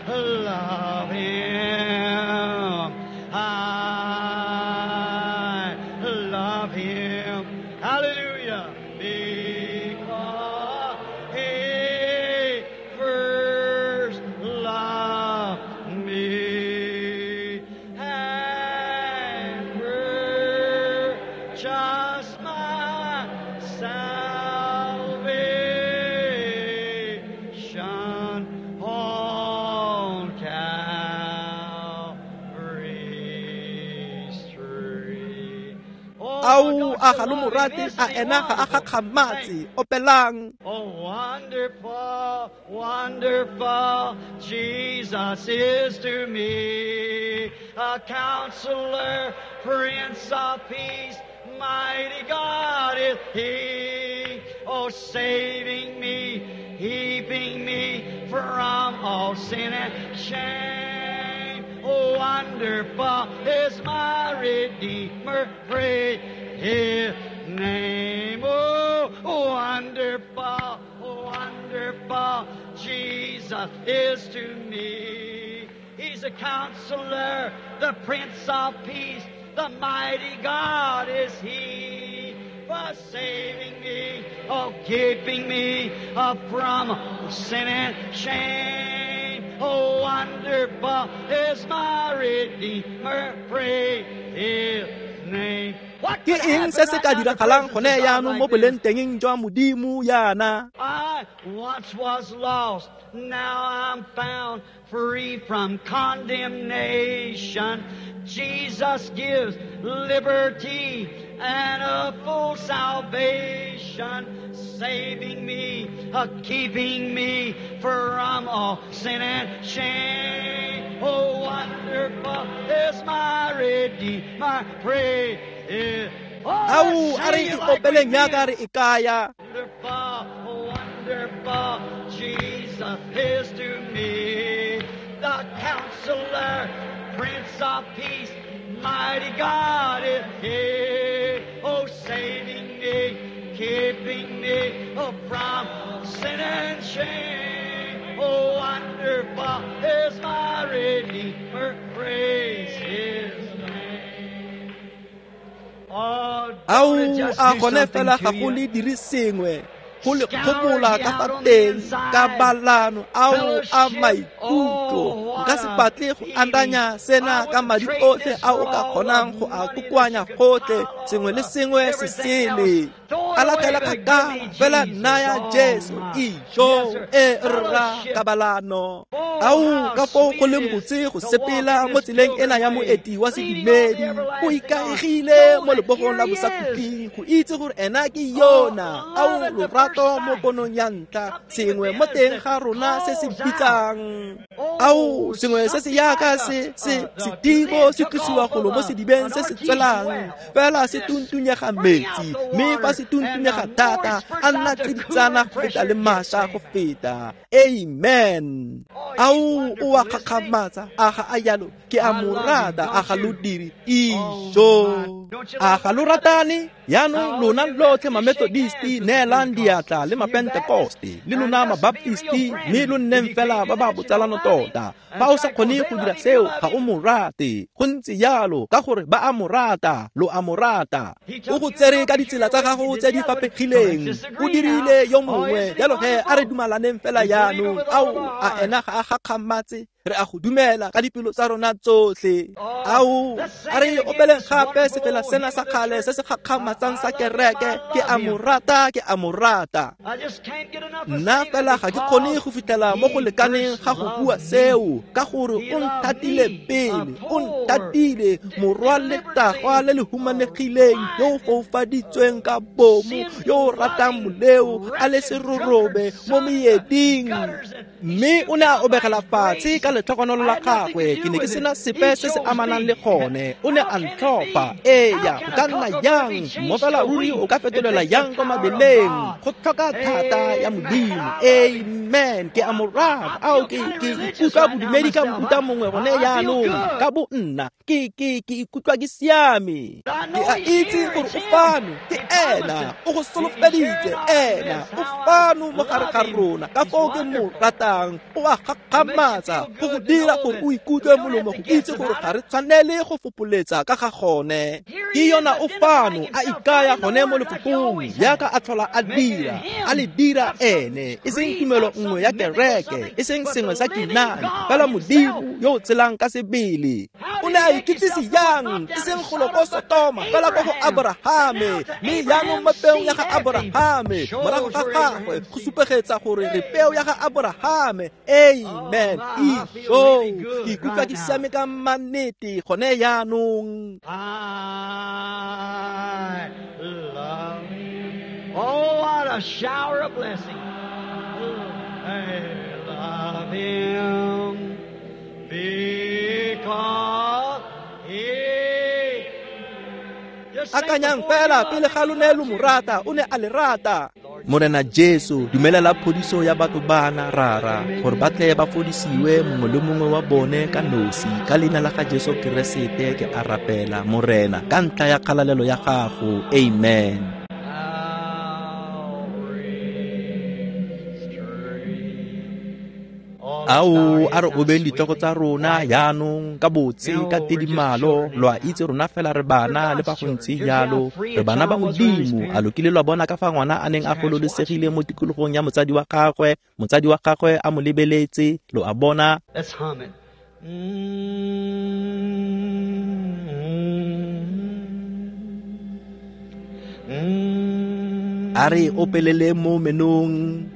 love him. I love him. Hallelujah. Because he first loved me and purchased my salvation on Calvary's tree. Ao, a ga lo mo rate? A ena ga a gakgamatse? Opelang. Oh, wonderful, wonderful Jesus is to me, a counselor, Prince of Peace, mighty God is he. Oh, saving me, keeping me from all sin and shame. Oh, wonderful is my Redeemer, praise his name. Oh, wonderful, wonderful Jesus is to me. He's a counselor, the Prince of Peace, the mighty God is he. For saving me, oh, keeping me uh, from sin and shame. Oh, wonderful is my Redeemer, praise his name. Ke eng se se ka diragalang gone jaanong mo boleng tengeng jwa Modimo yana? I, Once was lost, now I'm found, free from condemnation. Jesus gives liberty and a full salvation, saving me, uh, keeping me from all sin and shame. Oh, wonderful is my Redeemer, praise. Ao, a re ikopeleng yaka re ikaya. Wonderful, wonderful Jesus is to me, the Counselor, Prince of Peace, mighty God is He. Oh, saving me, keeping me, oh, from sin and shame. Oh, wonderful is my Redeemer, praise His name. Oh, Ao, a gone fela ga go le dire sengwe, go le kgomola ka fa teng, ka balano, ao a maikutlo. Nka se batle go akanya sena ka madi otlhe a o ka kgonang go a kokoanya gotlhe, sengwe le sengwe se sele. A latela kgakala fela naya Jesu ijo e rra kabalano. Ao, ka foo go leng botse go sepela mo tseleng ena ya moeti wa sedumedi, o ikaegile mo lebogong la bosakhutleng go itse gore ena ke yona. Ao, lorato mo ponong ya ntlha, sengwe mo teng ga rona se se bitsang. Ao, sengwe se se yaka se se sedibo se tlosiwa golo mo sedibeng se se tswelang, fela se tuntunyega metsi, mme fa se tuntunyega thata a nna tsiditsana go feta le mašwa go feta. Amen. Ao, o a kgakgamatsa, a ga a yalo, ke a mo rata, a ga lo dire ijo. A ga lo ratane? Yaanong lona lotlhe ma-Methodisti, neelang diatla le ma-Pentecoste, le lona ma-Baptisti, mme lo nneng fela ba ba botsalano tota. Fa o sa kgone go dira seo, ga o mo rate. Go ntse jalo, ka gore ba a mo rata, lo a mo rata. O go tsere ka ditsela tsa gago tse di fapegileng, o dirile yo mongwe, jalo he a re dumalaneng fela jaanong. Ao, a ena ga a gakgamatse? Re a go dumela ka dipelo tsa rona tsotlhe. Ao, a re opeleng gape sefela sena sa kgale se se gakgamatsang sa kereke, ke a mo rata, ke a mo rata. Nna fela ga ke kgone go fitlhela mo go lekaneng ga go bua seo, ka gore o nthatile pele, o nthatile, morwa letagwa le le humanegileng, yo o foufaditsweng ka bomo, yo o ratang moleo, a le serorobe mo meeding. Mme o ne a obegela fatshe ka letlhogonolo la gagwe, ke ne ke sena sepe se se amanang le gone. O ne a ntlhopha. Eya, go ka nna yang? Mo fela ruri o ka fetolela yang kwa mabeleng? Go tlhoka thata ya Modimo. Amen. Ke a mo rata. Ao, ke ke ikutlwa bodumedi ka mofuta mongwe gone jaanong, ka bo nna. Ke ke ke ikutlwa ke siame. Ke a itse gore o fano, ke ena, o go solofeditse, ena o fano mo gare ga rona. Ka foo ke mo ratang, o a gakgamatsa, go go dira gore o ikutlwe molomo go itse gore ga re tshwanele go fopoletsa ka ga gone. Ke yona o fano a ikaya gone mo lefokong, jaaka a tlhola a dira, a le dira ene, e seng tumelo nngwe ya kereke, e seng sengwe sa kinane, fela Modimo yo o tshelang ka sebele. O ne a ikitsise yang, e seng golo ko Sotoma, fela ko go Aborahame, mme jaanong mo peong ya ga Aborahame, morago ga gagwe go supegetsa gore re peo ya ga Aborahame. Amen. Ijo, ke ikutlwa ke siame ka mannete gone jaanong. I love Him. Oh, what a shower of blessing. I love Him because He. Akanyang fela pele ga lo ne lo mo rata, o ne a le rata. Morena Jesu, dumelela phodiso ya batho bana, rara, gore ba tle ba fodisiwe mongwe le mongwe wa bone ka nosi. Ka leina la ga Jesu Keresete ke a rapela, Morena, ka ntlha ya kgalalelo ya gago. Amen. Ao, a re obeng ditlhogo tsa rona jaanong ka botse, ka tidimalo. Lo a itse rona fela re bana, le fa go ntse jalo re bana ba Modimo. A lo kile lwa bona ka fa ngwana a neng a gololosegile mo tikologong ya motsadi wa gagwe, motsadi wa gagwe a mo lebeletse, lo a bona. Let's hum it. A re opelele mo menong.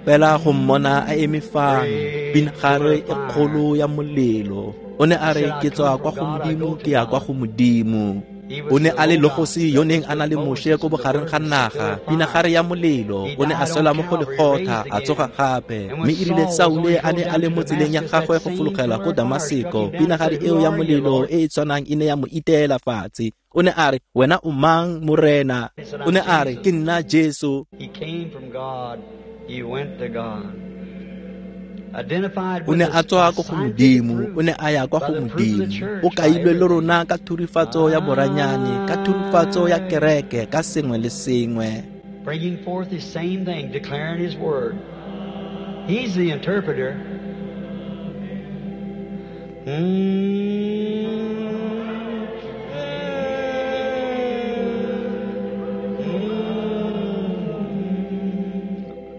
Fela go mmona a eme fano, pinagare e kgolo ya molelo. O ne a re, ke tswa kwa go Modimo, ke ya kwa go Modimo. O ne a le Logosi yo neng a na le Moshe ko bogareng ga naga, pinagare ya molelo. O ne a swela mo Golegotha, a tsoga gape. Mme e rile Saule a ne a le mo tseleng ya gagwe go fologela ko Damaseko, pinagare eo ya molelo e e tshwanang e ne ya mo iteela fatshe. O ne a re, wena o mang, Morena? O ne a re, ke nna Jesu. He went to God. Identified O ne a tswa ko go Modimo, o ne a ya kwa go Modimo. O kailwe le rona ka thurifatso ya boranyane, ka thurifatso ya kereke, ka sengwe le sengwe. Bringing forth the same thing, declaring his word. He's the interpreter. Mm.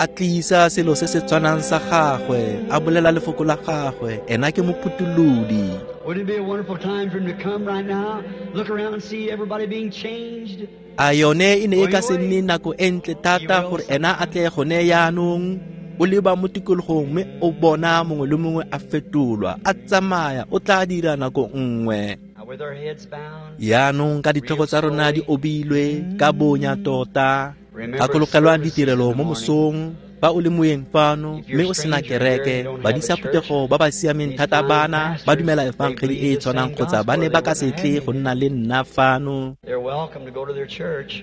A tlisa selo se se tshwanang sa gagwe, a bolela lefoko la gagwe, ena ke mophutholodi. Wouldn't it be a wonderful time for him to come right now, look around and see everybody being changed? A yone e ne e ka se nne nako e ntle thata gore ena a tle gone yaanong, o leba mo tikologong mme o bona mongwe le mongwe a fetolwa, a tsamaya, o tla dira nako nngwe. With our heads bound, Yaanong ka ditlhogo tsa rona di obilwe ka bonya tota, gakologelwang ditirelo mo mosong, fa o le moeng fano mme o sena kereke, badisa phuthego ba ba siameng thata bana ba dumela efangedi e e tshwanang kgotsa ba ne ba ka se tle go nna le nna fano. They're welcome to go to their church.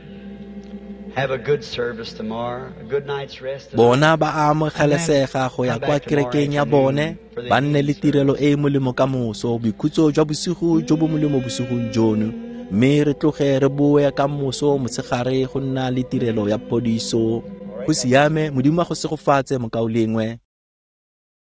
Have a good service tomorrow, a good night's rest tonight. Bona ba amogelesega go ya kwa kerekeng ya bone, ba nne le tirelo e e molemo ka moso, boikhutso jwa bosigo jo bo molemo bosigong jono, mme re tloge re boe ka moso motshegare go nna le tirelo ya phodiso. Go siame, Modimo a go segofatse mokaulengwe.